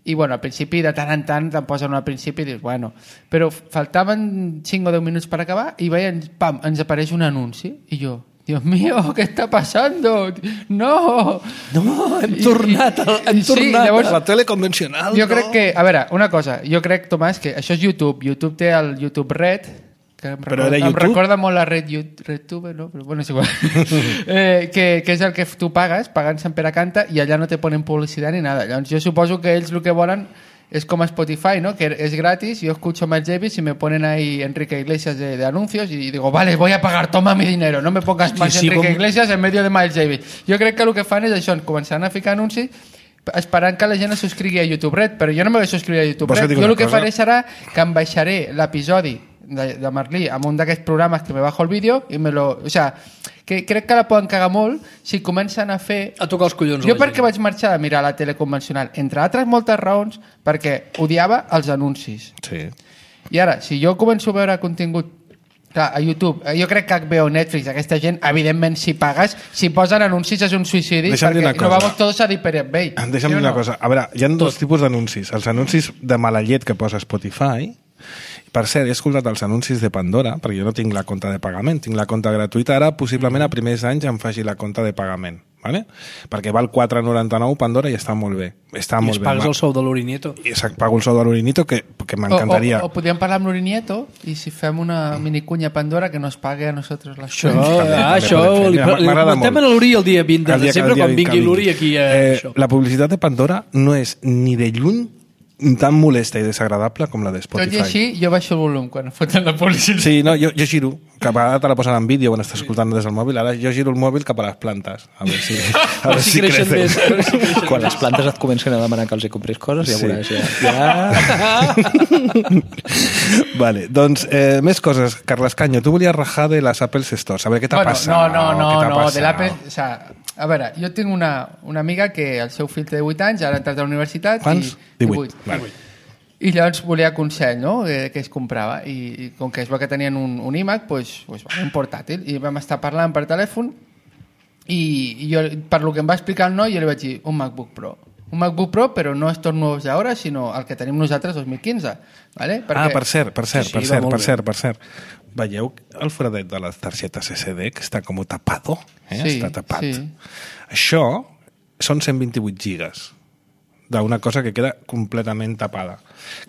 I bueno, al principi, de tant en tant, te'n posen al principi i dius, bueno... Però faltaven cinc o deu minuts per acabar i veien, pam, ens apareix un anunci, i jo... Dios mío, ¿qué está pasando? No! No, hem tornat, hem sí, tornat llavors, a la tele convencional. Jo no? crec que, a veure, una cosa, jo crec, Tomàs, que això és YouTube. YouTube té el YouTube Red, que em, Però recorda, era em YouTube? recorda molt la Red RedTube, no? Però bueno, és igual. eh, que, que és el que tu pagues, pagant Sant Pere Canta, i allà no te ponen publicitat ni nada. Llavors jo suposo que ells el que volen es como Spotify, ¿no? Que es gratis, yo escucho Miles Davis y me ponen ahí Enrique Iglesias de, de anuncios y digo, vale, voy a pagar, toma mi dinero, no me pongas más sí, sí, Enrique com... Iglesias en medio de Miles Davis. Jo crec que el que fan és això, començaran a ficar anuncis esperant que la gent es subscrigui a YouTube Red, però jo no me vaig subscriure a YouTube Red. Jo el que cosa? faré serà que em baixaré l'episodi de, de Merlí amb un d'aquests programes que me bajo el vídeo i me lo... O sea, que crec que la poden cagar molt si comencen a fer... A tocar els collons. Jo perquè vaig marxar de mirar la tele convencional, entre altres moltes raons, perquè odiava els anuncis. Sí. I ara, si jo començo a veure contingut clar, a YouTube, jo crec que H B O, Netflix, aquesta gent, evidentment, si pagues, si posen anuncis és un suïcidi, Deixa'm perquè no vamos todos a dir Pirate Bay. Deixa'm dir una cosa. A veure, hi ha dos tipus d'anuncis. Els anuncis de mala llet que posa Spotify. Per cert, he escoltat els anuncis de Pandora, perquè jo no tinc la compte de pagament, tinc la compte gratuïta. Ara, possiblement, a primers anys em faci la compte de pagament, ¿vale? Perquè val quatre noranta-nou Pandora i està molt bé. Està I molt es bé. pagues el sou de l'Urinieto. I es pago el sou de l'Urinieto, que, que m'encantaria. O, o, o podríem parlar amb l'Urinieto i si fem una minicunya Pandora que nos pague a nosaltres les això, ah, això li, li, li comentem a l'Uri el dia vint de desembre quan vingui l'Uri aquí a eh, això. La publicitat de Pandora no és ni de lluny tan molesta i desagradable com la de Spotify. Tot i així, jo baixo el volum quan foten la publicitat. Sí, no, jo, jo giro, que a vegades te la posen en vídeo quan estàs escoltant des del mòbil, ara jo giro el mòbil cap a les plantes, a veure si, a veure si, si creixen crecen. més. A veure si creixen quan les plantes et comencen a demanar que els hi compris coses, ja sí. veuràs. Ja. ja. Vale, doncs, eh, més coses. Carles Canyo, tu volies rajar de les Apple Stores. A veure, què t'ha bueno, passat? No, no, no, no, passat? de l'Apple... O sea, a veure, jo tinc una, una amiga que el seu fill té divuit anys, ara ha entrat a la universitat... Quants? I, divuit. Vale. I llavors volia consell, no?, que, que es comprava. I, I com que es va que tenien un, un iMac, pues, pues, un portàtil. I vam estar parlant per telèfon i, i jo, per lo que em va explicar el noi, jo li vaig dir un MacBook Pro. Un MacBook Pro, però no estos nous d'ara, sinó el que tenim nosaltres dos mil quinze. ¿Vale? Perquè... Ah, per cert, per cert, sí, sí, per cert, per bé. cert, per cert. Veieu el foradet de les targetes S D que està com tapado? Eh? Sí, està tapat. sí. Això són cent vint-i-vuit gigas d'una cosa que queda completament tapada.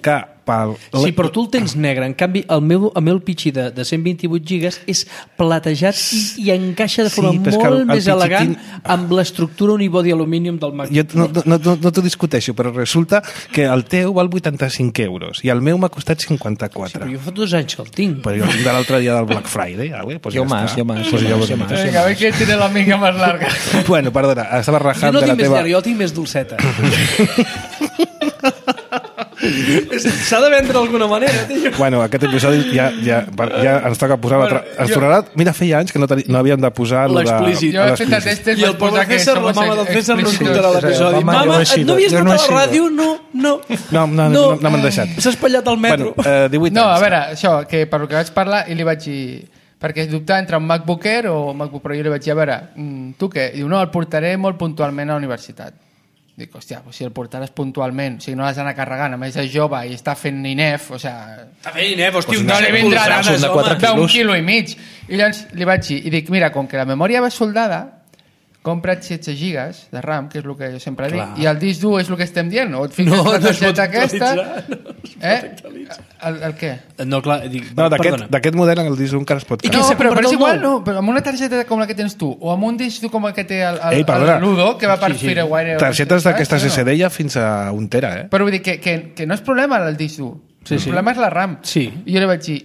Que pel... Sí, però tu el tens negre. En canvi, el meu, el meu pitxi de, de cent vint-i-vuit gigas és platejat i, i encaixa de forma sí, molt el, el més pitxitín... elegant amb l'estructura unibody aluminium del Mac. Jo no, no, no, no t'ho discuteixo, però resulta que el teu val vuitanta-cinc euros i el meu m'ha costat cinquanta-quatre. Sí, però jo fa dos anys que el tinc. Però jo el tinc de l'altre dia del Black Friday. ¿vale? Pues jo ja más, està. jo más. Pues jo jo más, jo más. Vinga, a veure qui tiene la mica més larga. Bueno, perdona, estava Jo rajant no de la tinc més teva... llarg, jo tinc més dolceta. S'ha de vendre d'alguna manera, tio. Bueno, aquest episodi ja, ja, ja ens toca posar... Bueno, Bueno, ens tornarà... Mira, feia anys que no, teni, no havíem de posar lo de- L'explícit. Jo he fet l'explícit. testes I per el pobre posar que César, la somos mama del César no explícitos. escoltarà l'episodi. Mama, Mama, jo no he sido, no havies jo no he escoltat la sido. ràdio? No, no. No, no, no, no m'han deixat. S'ha espatllat al metro. Bueno, eh, divuit No, anys. a veure, això, que per lo que vaig parlar i li vaig dir... Perquè dubtava entre un MacBook Air o un MacBook Pro. Jo li vaig dir, a veure, mm, tu què? Diu, no, el portaré molt puntualment a la universitat. Dic, hòstia, pues si el portaràs puntualment, o sigui, no l'has d'anar carregant, a més és jove i està fent INEF, o sigui... Està fent INEF, hòstia, No li vindrà polzades, de quatre d'un quilos. quilo i mig. I llavors li vaig dir, i dic, mira, com que la memòria va soldada, compra't setze gigas de RAM, que és el que jo sempre dic, Clar. i el disc dur és el que estem dient, o et fiques No, la no es pot targeta aquesta... actualitzar, no es pot eh? actualitzar. El, el què? No, clar, dic, No, d'aquest perdona. d'aquest model en el disc encara es pot I fer. què No, s'ha però, però comprat és el igual, nou? no, però amb una targeta com la que tens tu, o amb un disc dur com el que té el, el, Ei, perdona. el Ludo, que va per Sí, sí. Firewire... Targetes d'aquestes saps, S no? D ja fins a un tera, eh? Però vull dir que, que, que no és problema el disc dur. Sí, el sí. problema és la RAM. Sí. I jo li vaig dir...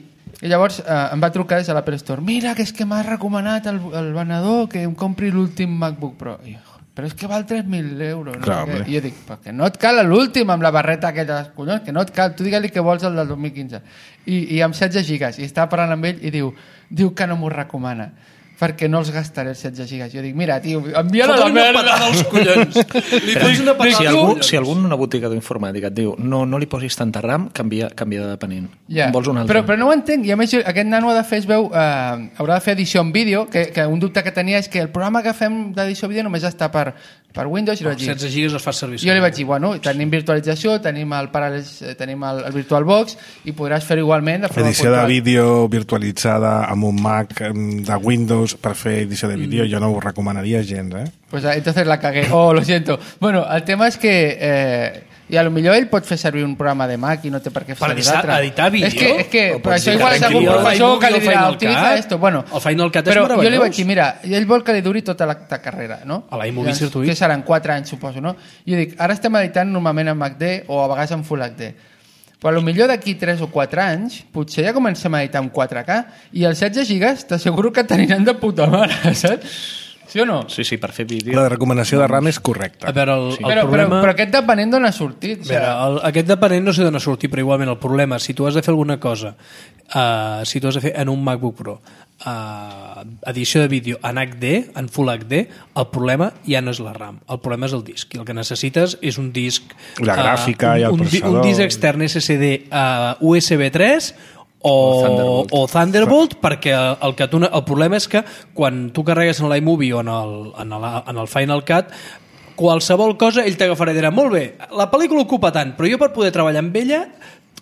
I llavors eh, em va trucar des de l'Apple Store. Mira, que és que m'ha recomanat el, el venedor que em compri l'últim MacBook Pro. I jo, però és que val tres mil euros. No? Clar, sé què. home. I jo dic, perquè no et cal l'últim amb la barreta aquella dels collons, que no et cal. Tu digue-li que vols el del dos mil quinze. I, i amb setze gigas. I estava parlant amb ell i diu, diu que no m'ho recomana perquè no els gastaré els setze gigas. Jo dic, mira, tio, envia-la a la Fota-li una merda. patada als collons. Li fots una patada Si als algú, collons. si algú en una botiga d'informàtica et diu no, no li posis tanta RAM, canvia, canvia de depenent. Ja. En vols un altre? Però, però no ho entenc. I a més, jo- aquest nano ha de fer, es veu, eh, haurà de fer edició en vídeo, que, que un dubte que tenia és que el programa que fem d'edició en vídeo només està per, per Windows. I li vaig dir, setze gigas els fas servir. jo li vaig dir, bueno, tenim virtualització, tenim el, Parallels, eh, tenim el, el VirtualBox i podràs fer igualment de forma Edició de puntual. vídeo virtualitzada amb un Mac em, de Windows per fer edició de vídeo, jo no ho recomanaria gens, eh? Pues ah, entonces la cagué. Oh, lo siento. Bueno, el tema és que... Eh, i a lo millor ell pot fer servir un programa de Mac i no té per què fer Per servir l'altre. editar vídeo? És que, és que O per pots això dir igual que és algun arregli el professor que iMovie, li el dirà, Final utiliza Cut. esto. Bueno, El Final Cut és però jo li meravellós. vaig dir, mira, ell vol que li duri tota la, la carrera, no? A l'iMovie Llavors, Circuit. Que seran quatre anys, suposo, no? I jo dic, ara estem editant normalment en H D o a vegades en Full H D. Però potser d'aquí tres o quatre anys potser ja comencem a editar en quatre K i els setze gigas t'asseguro que t'aniran de puta mare, saps? Sí o no? Sí, sí, per fer vídeo. La recomanació de RAM és correcta. A veure, el, Sí. el però, problema... però, però aquest depenent d'on ha sortit. A veure, el, aquest depenent no sé d'on ha sortit, però igualment el problema, si tu has de fer alguna cosa, uh, si tu has de fer en un MacBook Pro, uh, edició de vídeo en H D, en Full H D, el problema ja no és la RAM, el problema és el disc. I el que necessites és un disc... La gràfica uh, i el un, un, processador. un disc extern S S D uh, U S B tres o, O Thunderbolt. o Thunderbolt, perquè el, que tu, el problema és que quan tu carregues en l'iMovie o en el, en, el, en el Final Cut, qualsevol cosa ell t'agafarà i dirà, molt bé, la pel·lícula ocupa tant, però jo per poder treballar amb ella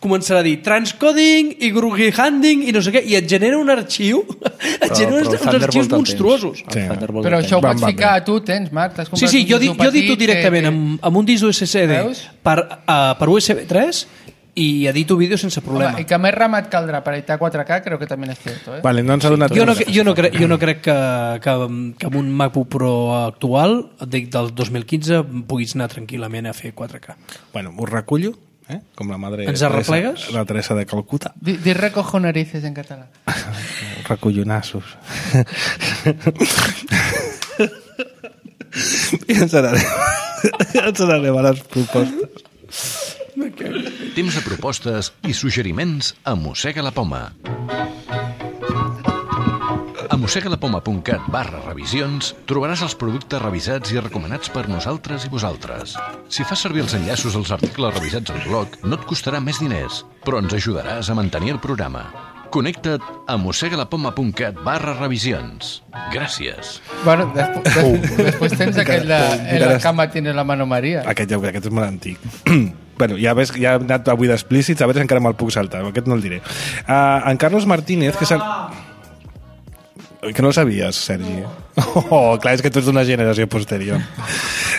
començarà a dir transcoding i groovyhanding i no sé què, i et genera un arxiu et genera uns, uns arxius monstruosos. Sí. Però això ho Van, pots van ficar bé. a tu, tens, Marc? T'has Sí, comprat sí, un jo, disc dic, jo petit edito directament que- amb, amb un disc U S S D Veus? per, uh, per U S B tres i edito vídeo sense problema. Home, i que més RAM et caldrà per editar quatre K, crec que també és cierto, eh? Vale, no ens ha donat... Jo no, jo no, crec, jo no crec que, que, que amb un MacBook Pro actual, dic del dos mil quinze, puguis anar tranquil·lament a fer quatre K. Bueno, ho recullo, eh? Com la madre... Ens arreplegues? Teresa, la Teresa de Calcuta. Di, di recojo narices en català. Recollonassos. I ens n'anem, ens n'anem a les propostes. Temps de propostes i suggeriments a Mossega la Poma. A mossegalapoma.cat barra revisions trobaràs els productes revisats i recomanats per nosaltres i vosaltres. Si fas servir els enllaços als articles revisats al blog, no et costarà més diners, però ens ajudaràs a mantenir el programa. Connecta't a mossegalapoma.cat barra revisions. Gràcies. Bueno, després, després, després tens aquell de en la cama tiene la mano María. Aquest, ja, aquest és molt antic. Bueno, ja ves, ja he anat avui d'explícits, a veure si encara me'l puc saltar. Aquest no el diré. Uh, en Carlos Martínez, que és el... Que no el sabies, Sergi. Oh, clar, és que tu ets d'una generació posterior.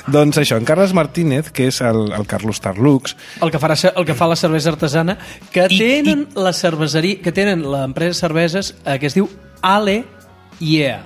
Doncs això, en Carlos Martínez, que és el, el Carlos Tarlux, El que, farà, el que fa la cervesa artesana, que tenen la cerveseria, que tenen l'empresa de cerveses eh, que es diu Ale Yeah,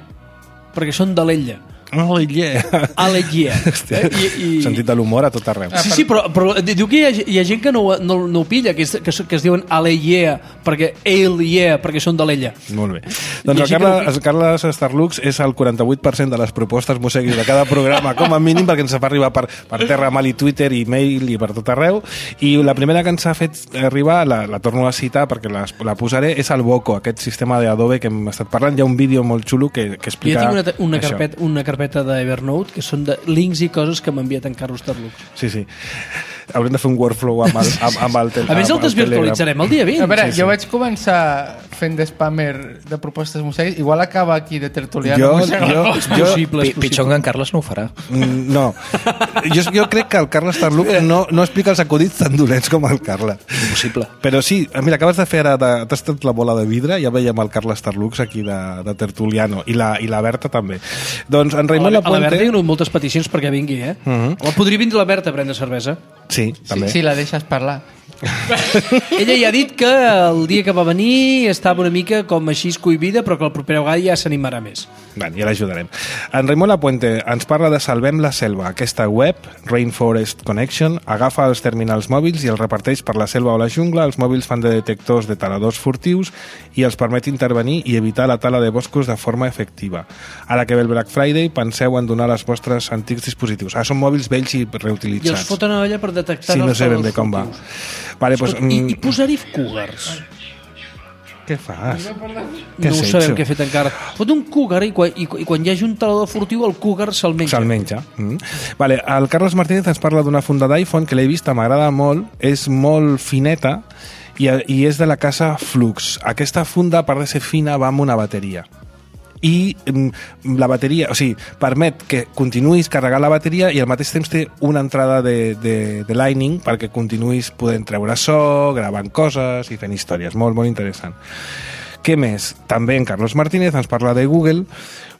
perquè són de l'Ella. Oh, yeah. Ale, yeah. Hòstia, I, i... sentit de l'humor a tot arreu. Sí, sí, però, però diu que hi ha, hi ha gent que no, no, no ho pilla, que, és, que, que es diuen Ale, yeah, perquè Ale, yeah, perquè són de l'ella. Molt bé. Doncs el Carles, el Carles Starlux és el quaranta-vuit per cent de les propostes museguis de cada programa, com a mínim, perquè ens fa arribar per, per terra, mal i Twitter, i mail i per tot arreu. I la primera que ens ha fet arribar, la, la torno a citar perquè la, la posaré, és el Boco, aquest sistema d'Adobe que hem estat parlant. Hi ha un vídeo molt xulo que, que explica jo tinc una, una, això. carpeta, una carpeta d'Evernote que són de links i coses que m'ha enviat en Carlos Starlux. Sí, sí. Haurem de fer un workflow amb el, amb, amb el, tel, a més el desvirtualitzarem el dia vint. A veure, Sí, sí. jo vaig començar fent de spammer de propostes museguis, igual acaba aquí de tertuliano. Jo, museu. jo, És jo, possible, és Pi- Pitjor que en Carles no ho farà. Mm, no. Jo, jo crec que el Carles Starlux no, no explica els acudits tan dolents com el Carles. Impossible. Però sí, mira, acabes de fer ara, de, t'has tret la bola de vidre, ja veiem el Carles Starlux aquí de, de Tertuliano, i la, i la Berta també. Doncs en A Raimon la, a la Berta Lapuente... hi ha moltes peticions perquè vingui, eh? Uh -huh. O podria vindre la Berta a prendre cervesa. Sí, també. Sí, sí, la deixes parlar. Ella ja ha dit que el dia que va venir estava una mica com així cohibida, però que el proper vegada ja s'animarà més. Bé, ja l'ajudarem. En Raimon Lapuente ens parla de Salvem la Selva. Aquesta web, Rainforest Connection, agafa els terminals mòbils i els reparteix per la selva o la jungla. Els mòbils fan de detectors de taladors furtius i els permet intervenir i evitar la tala de boscos de forma efectiva. Ara que ve el Black Friday, penseu en donar els vostres antics dispositius. Ah, són mòbils vells i I reutilitzats. els foten a allà per detectar Sí, no els sé ben taladors bé com va. furtius. Vale, pues, Escolta, I, mm, I posar-hi cougars. què fas? No ho has sabem hecho? què he fet encara. Fot un cougar i quan, i, i quan hi hagi un talador furtiu el cougar se'l menja. Se'l menja. Mm. Vale, el Carlos Martínez ens parla d'una funda d'iPhone que l'he vista, m'agrada molt, és molt fineta i, i és de la casa Flux. Aquesta funda, a part de ser fina, va amb una bateria. I mm, la bateria, o sigui, permet que continuïs carregant la bateria i al mateix temps té una entrada de, de, de Lightning perquè continuïs podent treure so, gravant coses i fent històries. Molt, molt interessant. Què més? També en Carlos Martínez ens parla de Google,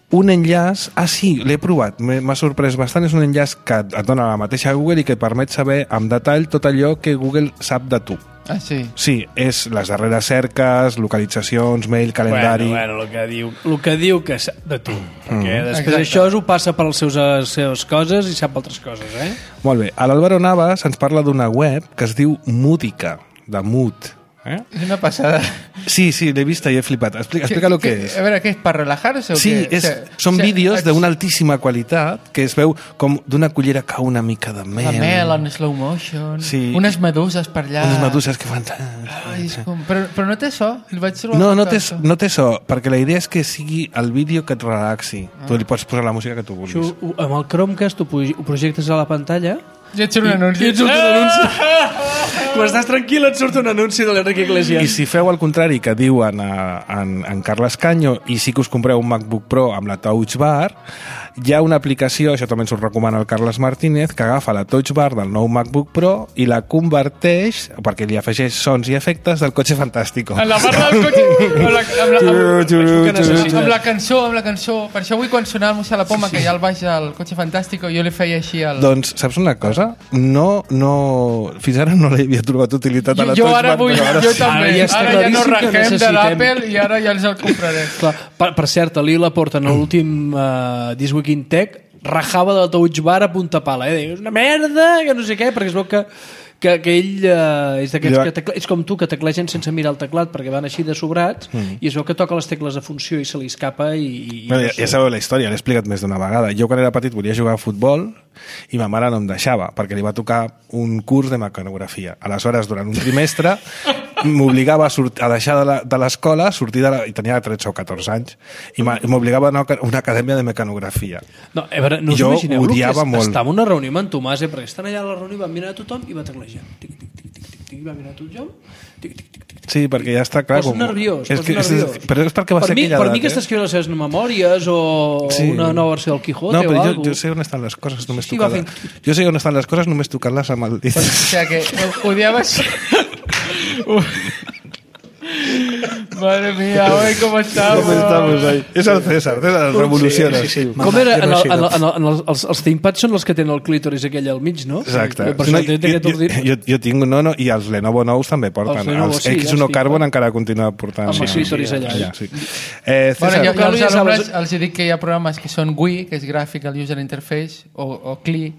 un enllaç, ah sí, l'he provat, m'ha sorprès bastant, és un enllaç que et dona la mateixa Google i que permet saber amb detall tot allò que Google sap de tu. Ah, sí. Sí, és les darreres cerques, localitzacions, mail, calendari... Bueno, bueno, el que diu, el que, diu que sap de tu. Perquè després Exacte. això ho passa per les seus, les seves coses i sap altres coses, eh? Molt bé, a l'Álvaro Navas ens parla d'una web que es diu Múdica, de Mood. Eh? És una passada. Sí, sí, l'he vista i he flipat. Explica, explica el que és. A veure, què és, per relajar-se o Sí, què? és, O sigui, són o sigui, vídeos ets- d'una altíssima qualitat que es veu com d'una cullera cau una mica de mel. La mel en slow motion, Sí. unes meduses per allà. Unes meduses que fan... Ai, és com... però, però no té so? El vaig trobar No, no faltar té, so. no té so, perquè la idea és que sigui el vídeo que et relaxi. Ah. Tu li pots posar la música que tu vulguis. Això, ho- amb el Chromecast ho, pu- ho projectes a la pantalla Ja et surt un anunci. i et surt un anunci. Quan estàs tranquil et surt un anunci de l'Enrique Iglesias. I si feu el contrari que diuen a, en, en Carles Canyo i sí que us compreu un MacBook Pro amb la Touch Bar, hi ha una aplicació, això també ens ho recomana el Carles Martínez, que agafa la Touch Bar del nou MacBook Pro i la converteix, perquè li afegeix sons i efectes del Cotxe Fantàstico. En la barra del cotxe, amb la, amb la, amb, Turu, turu, turu. amb la cançó, amb la cançó. Per això avui quan sonava el Mossà la Poma, que hi ha al baix del Cotxe Fantàstico, jo li feia així el... Doncs, saps una cosa? No, no... Fins ara no li havia trobat utilitat a Jo, la jo Touch ara Bar, vull, però ara jo sí. també. Ara ja està Ara ja no claríssim que rajem de necessitem. l'Apple i ara ja ens el compraré. Clar, per, per cert, a l'Ila Porta en l'últim uh, This Week in Tech rajava de la Touch Bar a punta pala, eh? És una merda, que no sé què, perquè es veu que que, que ell uh, és d'aquests Jo- que tecle, és com tu, que teclegen sense mirar el teclat perquè van així de sobrats mm. i es veu que toca les tecles de funció i se li escapa i... i Bueno, ja, ja sabeu la història, l'he explicat més d'una vegada. Jo quan era petit volia jugar a futbol i ma mare no em deixava perquè li va tocar un curs de mecanografia. Aleshores, durant un trimestre m'obligava a, sort- a deixar de la- de l'escola, sortir de la, i tenia tretze o catorze anys, i m'a- i m'obligava a anar a una acadèmia de mecanografia. No, a veure, no us Jo imagineu el que odiava és, molt. estava en una reunió amb en Tomàs, eh, perquè estan allà a la reunió, van mirar a tothom i va teclejar. Tic, tic, tic, tic, tic, tic, va mirar a tothom, tic, tic, tic, tic. Sí, perquè ja està clar. Posa nerviós, és posa que, és, nerviós. però és perquè va Per ser mi, aquella per edat, mi que eh? està escrivint les seves memòries o Sí. una nova versió del Quijote No, o però jo, alguna jo sé on estan les coses només Sí, va tocades. Jo sé on estan les coses només tocant-les amb el dit. O sigui que odiaves... Madre mía, hoy cómo estamos. Com estamos ahí? És el César, César revoluciona. Sí, sí, sí. Com era? En el, en el, en el, en el, els, els ThinkPads són els que tenen el clítoris aquell al mig, no? Exacte. Per No, això té aquest jo, ordinador. jo, jo tinc, no, no, i els Lenovo nous també porten. Els Lenovo, Els sí, X els uno tinc. Carbon encara continua portant. Amb el clítoris allà. allà sí. eh, Bueno, César, jo, jo als ja sabes- alumnes els dic que hi ha programes que són G U I, que és Graphical User Interface, o, o C L I,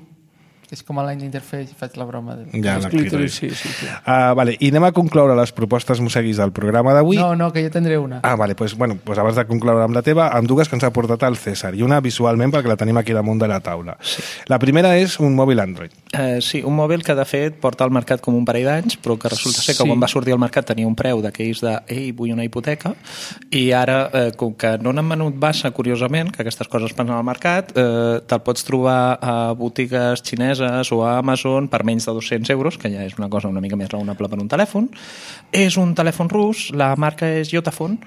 que és com a Line Interface, i faig la broma del... ja, Els la clítoris, clítoris. sí, sí. sí. Uh, vale, i anem a concloure les propostes musseguis del programa d'avui. No, no, que jo tindré una. Ah, vale, pues, bueno, pues abans de concloure amb la teva, amb dues que ens ha portat el César, i una visualment perquè la tenim aquí damunt de la taula. Sí. La primera és un mòbil Android. Eh, sí, un mòbil que de fet porta al mercat com un parell d'anys, però que resulta ser que Sí. quan va sortir al mercat tenia un preu d'aquells de ei, vull una hipoteca, i ara, eh, com que no n'han venut massa, curiosament, que aquestes coses passen al mercat, eh, te'l pots trobar a botigues xineses o a Amazon per menys de dos-cents euros, que ja és una cosa una mica més raonable per un telèfon. És un telèfon rus, la marca és Yotaphone,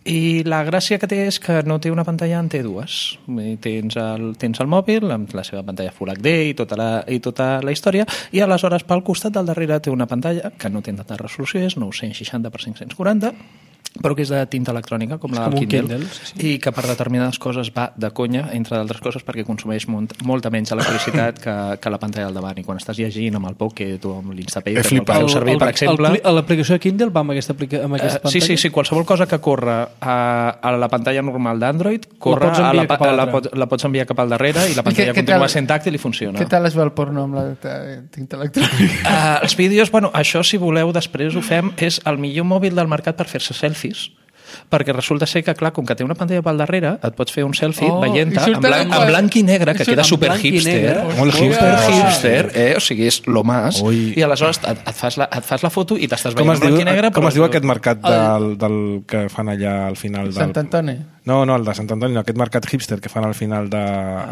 i la gràcia que té és que no té una pantalla, en té dues. I tens, el, tens el mòbil amb la seva pantalla Full H D i tota, la, i tota la història, i aleshores pel costat del darrere té una pantalla que no té tanta resolució, és nou-cents seixanta per cinc-cents quaranta, però que és de tinta electrònica, com la com del un Kindle, Kindle, sí, sí. i que per determinades coses va de conya, entre d'altres coses perquè consumeix molt, molta menys electricitat que, que la pantalla al davant, i quan estàs llegint amb el Pocket o amb l'Instapaper, He flipat. el servir, per exemple... el, l'aplicació de Kindle va amb aquesta, aplica, amb aquesta Uh, pantalla? sí, sí, sí, qualsevol cosa que corre a, a la pantalla normal d'Android corre pots a enviar la, cap a a la, l'altra. pot, la pots enviar cap al darrere i la I pantalla què- què continua tal- sent tàctil i funciona. Què tal es veu el porno amb la eh, tinta electrònica? Uh, els vídeos, bueno, això si voleu després ho fem, és el millor mòbil del mercat per fer-se selfies, perquè resulta ser que, clar, com que té una pantalla pel darrere, et pots fer un selfie Oh, veient-te i surt en, blanc, en- en blanc i negre, que i surt queda en super blanc i hipster, negre. Molt super hipster. hipster, eh? O sigui, és lo más, Ui. i aleshores et, et, fas la, et fas la foto i t'estàs Com veient es, en diu, blanc i negre, com però es diu aquest mercat del, del que fan allà al final? Del... Sant Antoni. No, no, el de Sant Antoni, no, aquest mercat hipster que fan al final de...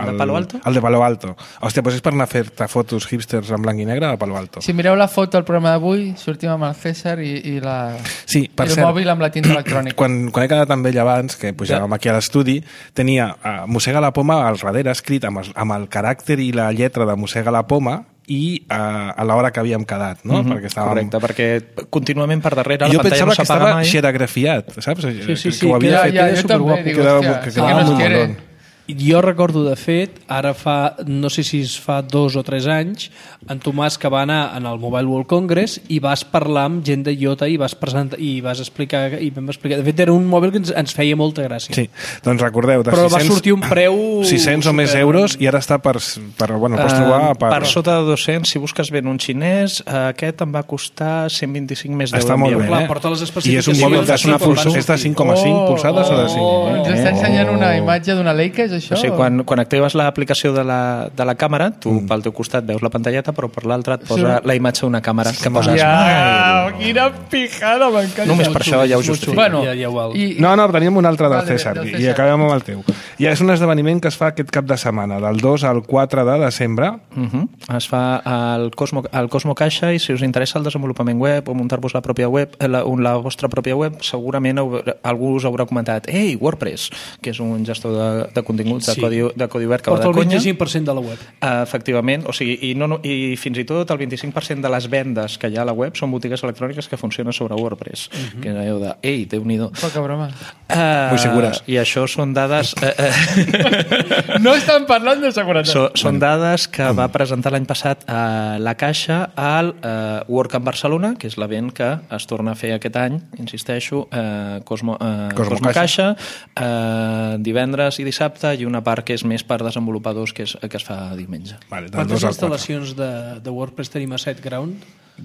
El de Palo Alto? El de Palo Alto. Hòstia, doncs és per anar a fer-te fotos hipsters en blanc i negre a Palo Alto. Si mireu la foto del programa d'avui, sortim amb el César i, i, la, Sí, per i el cert, mòbil amb la tinta electrònica. quan, quan he quedat amb ell abans, que pujàvem aquí a l'estudi, tenia uh, Mossega la Poma al darrere escrit amb el, amb el caràcter i la lletra de Mossega la Poma i uh, a l'hora que havíem quedat, no? Mhm, perquè estàvem... correcte, perquè contínuament per darrere I jo la pantalla pensava no que s'apaga estava mai. xeragrafiat, saps? Sí, sí, que, sí, que ho havia queda- fet. ja, queda jo també superguapo. dic, Quedava- hòstia, que sí quedava que molt nos quiere. molón. Jo recordo, de fet, ara fa, no sé si es fa dos o tres anys, en Tomàs que va anar en el Mobile World Congress i vas parlar amb gent de Iota i vas presentar i vas explicar, i vam explicar. De fet, era un mòbil que ens, ens feia molta gràcia. Sí, doncs recordeu, de Però va sis cents, sortir un preu... sis cents o més super- euros i ara està per... per bueno, el pots trobar Eh, per... per sota de dos-cents, si busques ben un xinès, eh, aquest em va costar cent vint-i-cinc més d'euros. Està molt bé, Clar, eh? porta les I és un especificacions mòbil de de cinc, quan van és de sortir. cinc coma cinc Oh, polzades o de cinc? oh. Ens està ensenyant una imatge d'una Leica, és això? O sigui, quan, quan actives l'aplicació de, la, de la càmera, tu mm. pel teu costat veus la pantalleta, però per l'altre et posa Sí. la imatge d'una càmera que posa Ja, Smile. quina pijada, m'encanta. Només per això ja ho justifico. Bueno, Ja- ja ho val. i, No, no, teníem un altre del Vale, César, del i César. acabem amb el teu. I és un esdeveniment que es fa aquest cap de setmana, del dos al quatre de desembre. Uh -huh. Es fa al Cosmo, al Cosmo Caixa, i si us interessa el desenvolupament web o muntar-vos la pròpia web, la, la vostra pròpia web, segurament haurà, algú us haurà comentat ei, WordPress, que és un gestor de, de continguts de, Sí. codi, de codi obert que va Porta de el conya. vint-i-cinc per cent de la web. Uh, efectivament, o sigui, i, no, no, i fins i tot el vint-i-cinc per cent de les vendes que hi ha a la web són botigues electròniques que funcionen sobre WordPress, uh -huh. que és allò de, ei, Déu-n'hi-do. Poca broma. Uh, Muy segures. I això són dades... Uh, uh, No estan parlant de seguretat. so, són dades que va presentar l'any passat a la Caixa al uh, WordCamp Barcelona, que és l'event que es torna a fer aquest any, insisteixo, uh, Cosmo, uh, Cosmo Cosmo Caixa, uh, divendres i dissabte, i una part que és més per desenvolupadors, que, és, que es fa diumenge. Vale, del Quantes dos al quatre. instal·lacions de, de WordPress tenim a SiteGround?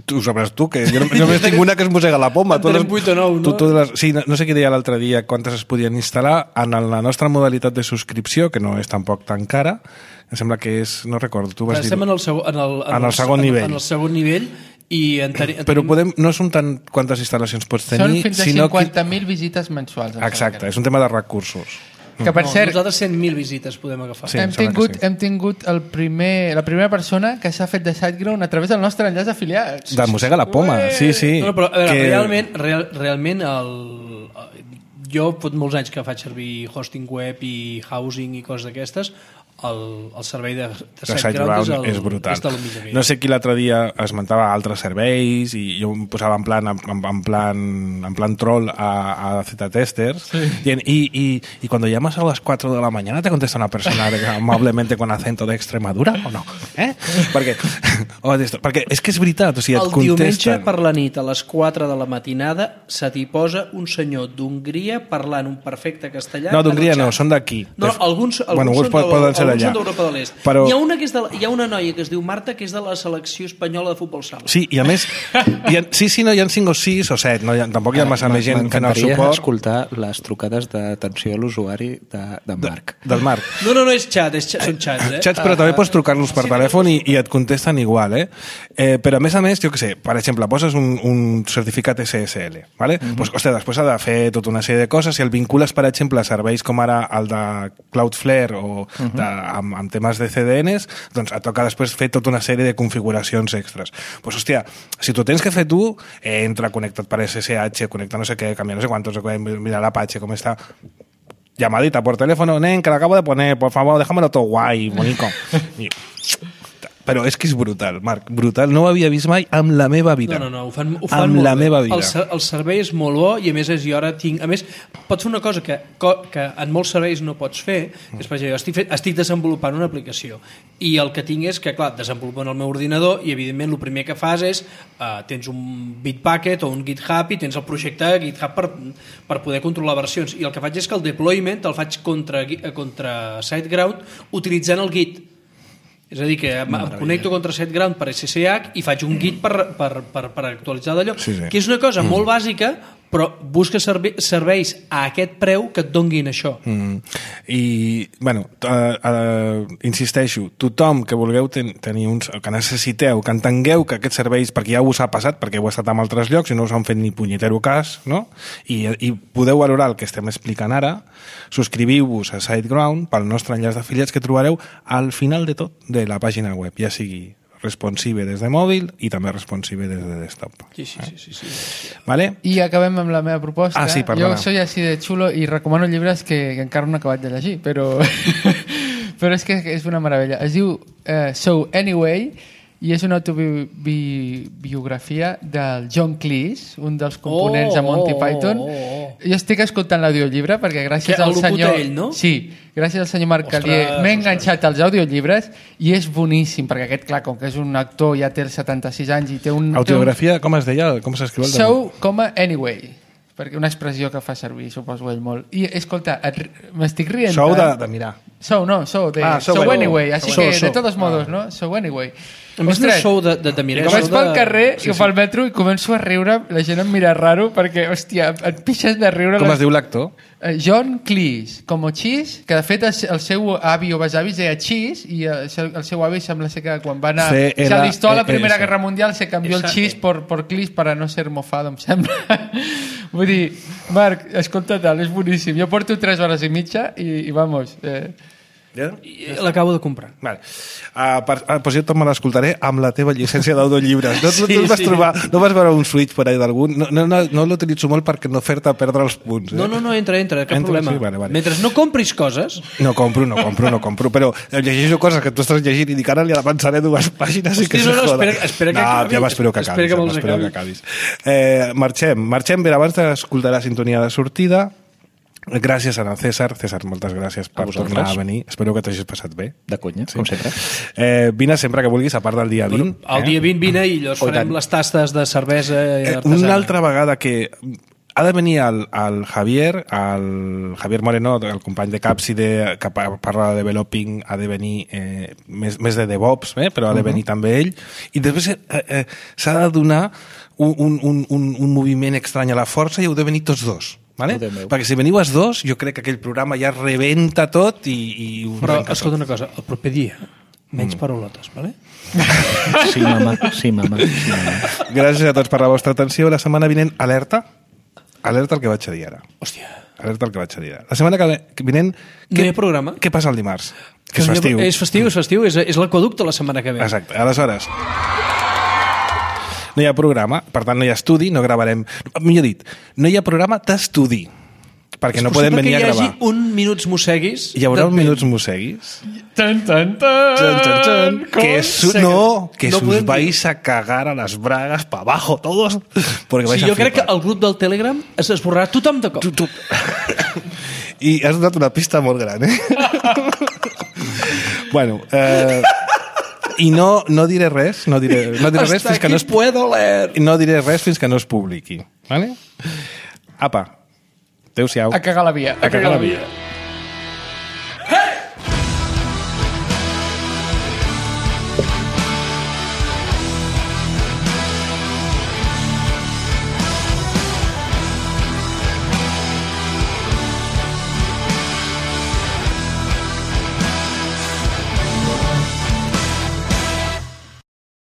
Tu ho sabràs tu, que jo no- només tinc una que es mossega la poma. En tenim vuit o nou, no? Tu, tu les, sí, no, no sé qui deia l'altre dia quantes es podien instal·lar en la nostra modalitat de subscripció, que no és tampoc tan cara. Em sembla que és... No recordo, tu vas dir... Estem en el, segon, en el, En el segon nivell. En el segon nivell i en teni, en Però tenim- podem, no són tant quantes instal·lacions pots Són tenir, fins a sinó que... cinquanta mil visites mensuals. em Exacte, sembla és un tema de recursos. que. Que per no, cert, nosaltres cent mil visites podem agafar. Sí, hem, em sembla que tingut, sí. hem tingut el primer, la primera persona que s'ha fet de SiteGround a través del nostre enllaç afiliat. De mossega la poma, sí, sí. No, no, però a veure, que... realment, real, realment el, jo fot molts anys que faig servir hosting web i housing i coses d'aquestes. el, el servei de, de de SiteGround és, és brutal. És no sé qui l'altre dia esmentava altres serveis i jo em posava en plan, en, en plan, en plan troll a, a Z-Testers sí. dient, y, y, y cuando llamas a las cuatro de la mañana te contesta una persona amablemente con acento de Extremadura o no? Eh? perquè, o perquè és que és veritat, o sigui, et el contesten. Diumenge per la nit a les quatre de la matinada se t'hi posa un senyor d'Hongria parlant un perfecte castellà. No, d'Hongria no, són d'aquí. No, alguns, alguns, bueno, són, pot, poden ser alguns són d'Europa de l'Est. Però... Hi, ha una que és de, hi ha una noia que es diu Marta que és de la selecció espanyola de futbol sala. Sí, i a més, hi ha, sí, sí, no, hi ha cinc o sis o set, no, hi ha, tampoc hi ha massa més gent fent el suport. M'encantaria escoltar les trucades d'atenció a l'usuari de, de Marc. De, del Marc. No, no, no, és xat, és xat són xats, eh? Xats, però uh, també pots trucar-los per sí, telèfon i, i et contesten igual, eh? eh? Però a més a més, jo què sé, per exemple, poses un, un certificat S S L, ¿vale? Uh -huh. Pues, hòstia, després ha de fer tota una sèrie de coses. Si el vincules, per exemple, a serveis com ara el de Cloudflare o uh-huh. de, amb, amb temes de C D Ns, doncs et toca després fer tota una sèrie de configuracions extres. Pues, hòstia, si tu tens que fer tu, eh, entra connectat per S S H, connecta no sé què, canvia no sé quantos, mira l'Apache com està, llamadita por teléfono, nen, que l'acabo de poner, por favor, déjamelo todo guay, bonico. I... Però és que és brutal, Marc, brutal. No ho havia vist mai amb la meva vida. No, no, no, ho fan, ho fan amb molt la bé. meva vida. El, el servei és molt bo i a més és, jo ara tinc... A més, pots fer una cosa que, que en molts serveis no pots fer, que és, per exemple, jo estic, fet, estic desenvolupant una aplicació i el que tinc és que, clar, desenvolupo en el meu ordinador i, evidentment, el primer que fas és uh, tens un Bitbucket o un GitHub i tens el projecte GitHub per, per poder controlar versions. I el que faig és que el deployment el faig contra, contra SiteGround utilitzant el Git. És a dir, que em, em connecto contra SiteGround per S S H i faig un Git per, per, per, per actualitzar d'allò, sí, sí. que és una cosa mm. molt bàsica, però busca serve serveis a aquest preu que et donguin això. Mm. I, bueno, uh, uh, insisteixo, tothom que vulgueu ten tenir uns, que necessiteu, que entengueu que aquests serveis, perquè ja us ha passat, perquè heu estat en altres llocs i no us han fet ni punyetero cas, no? I, i podeu valorar el que estem explicant ara, subscriviu-vos a SiteGround pel nostre enllaç d'afiliats que trobareu al final de tot de la pàgina web, ja sigui responsive des de mòbil i també responsive des de desktop. Sí, sí, sí. sí, sí. Vale? I acabem amb la meva proposta. Ah, sí, perdona. Jo soy així de xulo i recomano llibres que, que encara no he acabat de llegir, però, però és que és una meravella. Es diu uh, So Anyway i és una autobiografia del John Cleese, un dels components oh, de Monty Python. Oh, oh, oh. Jo estic escoltant l'audiollibre perquè gràcies que al senyor... ell, no? Sí, gràcies al senyor Marc Calier m'he enganxat als audiollibres i és boníssim, perquè aquest, clar, com que és un actor, ja té els setanta-sis anys i té un... Autobiografia, com es deia? Com s'escriu el So, coma, anyway. Perquè una expressió que fa servir, suposo ell molt. I, escolta, m'estic rient... Sou de, de mirar. So, no, so, de... Ah, so, so bueno. anyway, així So, que, so. de todos modos, Ah. no? So anyway. A més, no és show de, de, de mirar. I com vaig pel de... carrer, sí, i sí. pel metro, i començo a riure, la gent em mira raro, perquè, hòstia, et pixes de riure. Com les... es diu l'actor? Uh, John Cleese, com Cheese, que de fet el, el seu avi o besavi es deia Cheese, i el seu, el seu avi sembla ser que quan va anar... C L Se alistó a la Primera S. Guerra Mundial, se canvió el Esa- Cheese por, por Cleese para no ser mofado, em sembla. Vull dir, Marc, escolta tal, és boníssim. Jo porto tres hores i mitja i, i vamos... Eh, Ja? L'acabo de comprar. Vale. Uh, per, uh, doncs jo també l'escoltaré amb la teva llicència d'audiollibres. No, sí, no, no, vas sí. trobar, no vas veure un switch per ahí d'algun? No, no, no, no l'utilitzo molt perquè no fer-te perdre els punts. Eh? No, no, no, entra, entra, cap Entra, problema. sí, vale, vale. Mentre no compris coses... No compro, no compro, no compro, però llegeixo coses que tu estàs llegint i dic ara li avançaré dues pàgines i que Hosti, se no, no, joda. espera- espera que no, acabi. ja m'espero que Espera acabis. que me'ls m'espero acabi. que acabis. Eh, marxem, marxem bé. Abans d'escoltar la sintonia de sortida, gràcies a en César. César, moltes gràcies per tornar a venir. Espero que t'hagis passat bé. De conya, sí. Com sempre. Eh, vine sempre que vulguis, a part del dia vint. El dia vint vine i llavors Oh, i farem tant. les tastes de cervesa Eh, artesana. una altra vegada que ha de venir el, el Javier, el Javier Moreno, el company de Capside, que pa- parla de developing, ha de venir eh, més, més de DevOps, eh, però ha de venir uh -huh. també ell. I després eh, eh, s'ha de donar un, un, un, un, un moviment estrany a la força i heu de venir tots dos. Vale? Perquè si veniu els dos, jo crec que aquell programa ja rebenta tot i... i ho Però, arrenca escolta tot. una cosa, el proper dia, menys mm. paraulotes, vale? Sí, mama, sí, mama. Sí, mama. Gràcies a tots per la vostra atenció. La setmana vinent, alerta. Alerta el que vaig a dir ara. Hòstia. Alerta el que vaig a dir ara. La setmana que ve- que vinent... No hi ha programa? Què passa el dimarts? Que és festiu. És festiu, és festiu, és, és l'aquaducte la setmana que ve. Exacte. Aleshores, no hi ha programa, per tant no hi ha estudi, no gravarem... Millor dit, no hi ha programa d'estudi. perquè És no podem venir a possible gravar. que hi hagi un minuts mosseguis... Hi haurà de un vent. minuts mosseguis? Tan, tan, tan, Tan, tan, tan. Que, su, no, que No sus podem dir. vais a cagar a las bragas para abajo todos, porque vais Sí, a jo crec que flipar. el grup del Telegram es esborrarà tothom de cop. Tu, tu. I has donat una pista molt gran, eh? Bueno, eh, i no, no diré res, no diré, no diré res Hasta fins que no es, aquí puedo leer. no diré res fins que no es publiqui, vale? Apa, adéu-siau. A cagar la via. A cagar la via.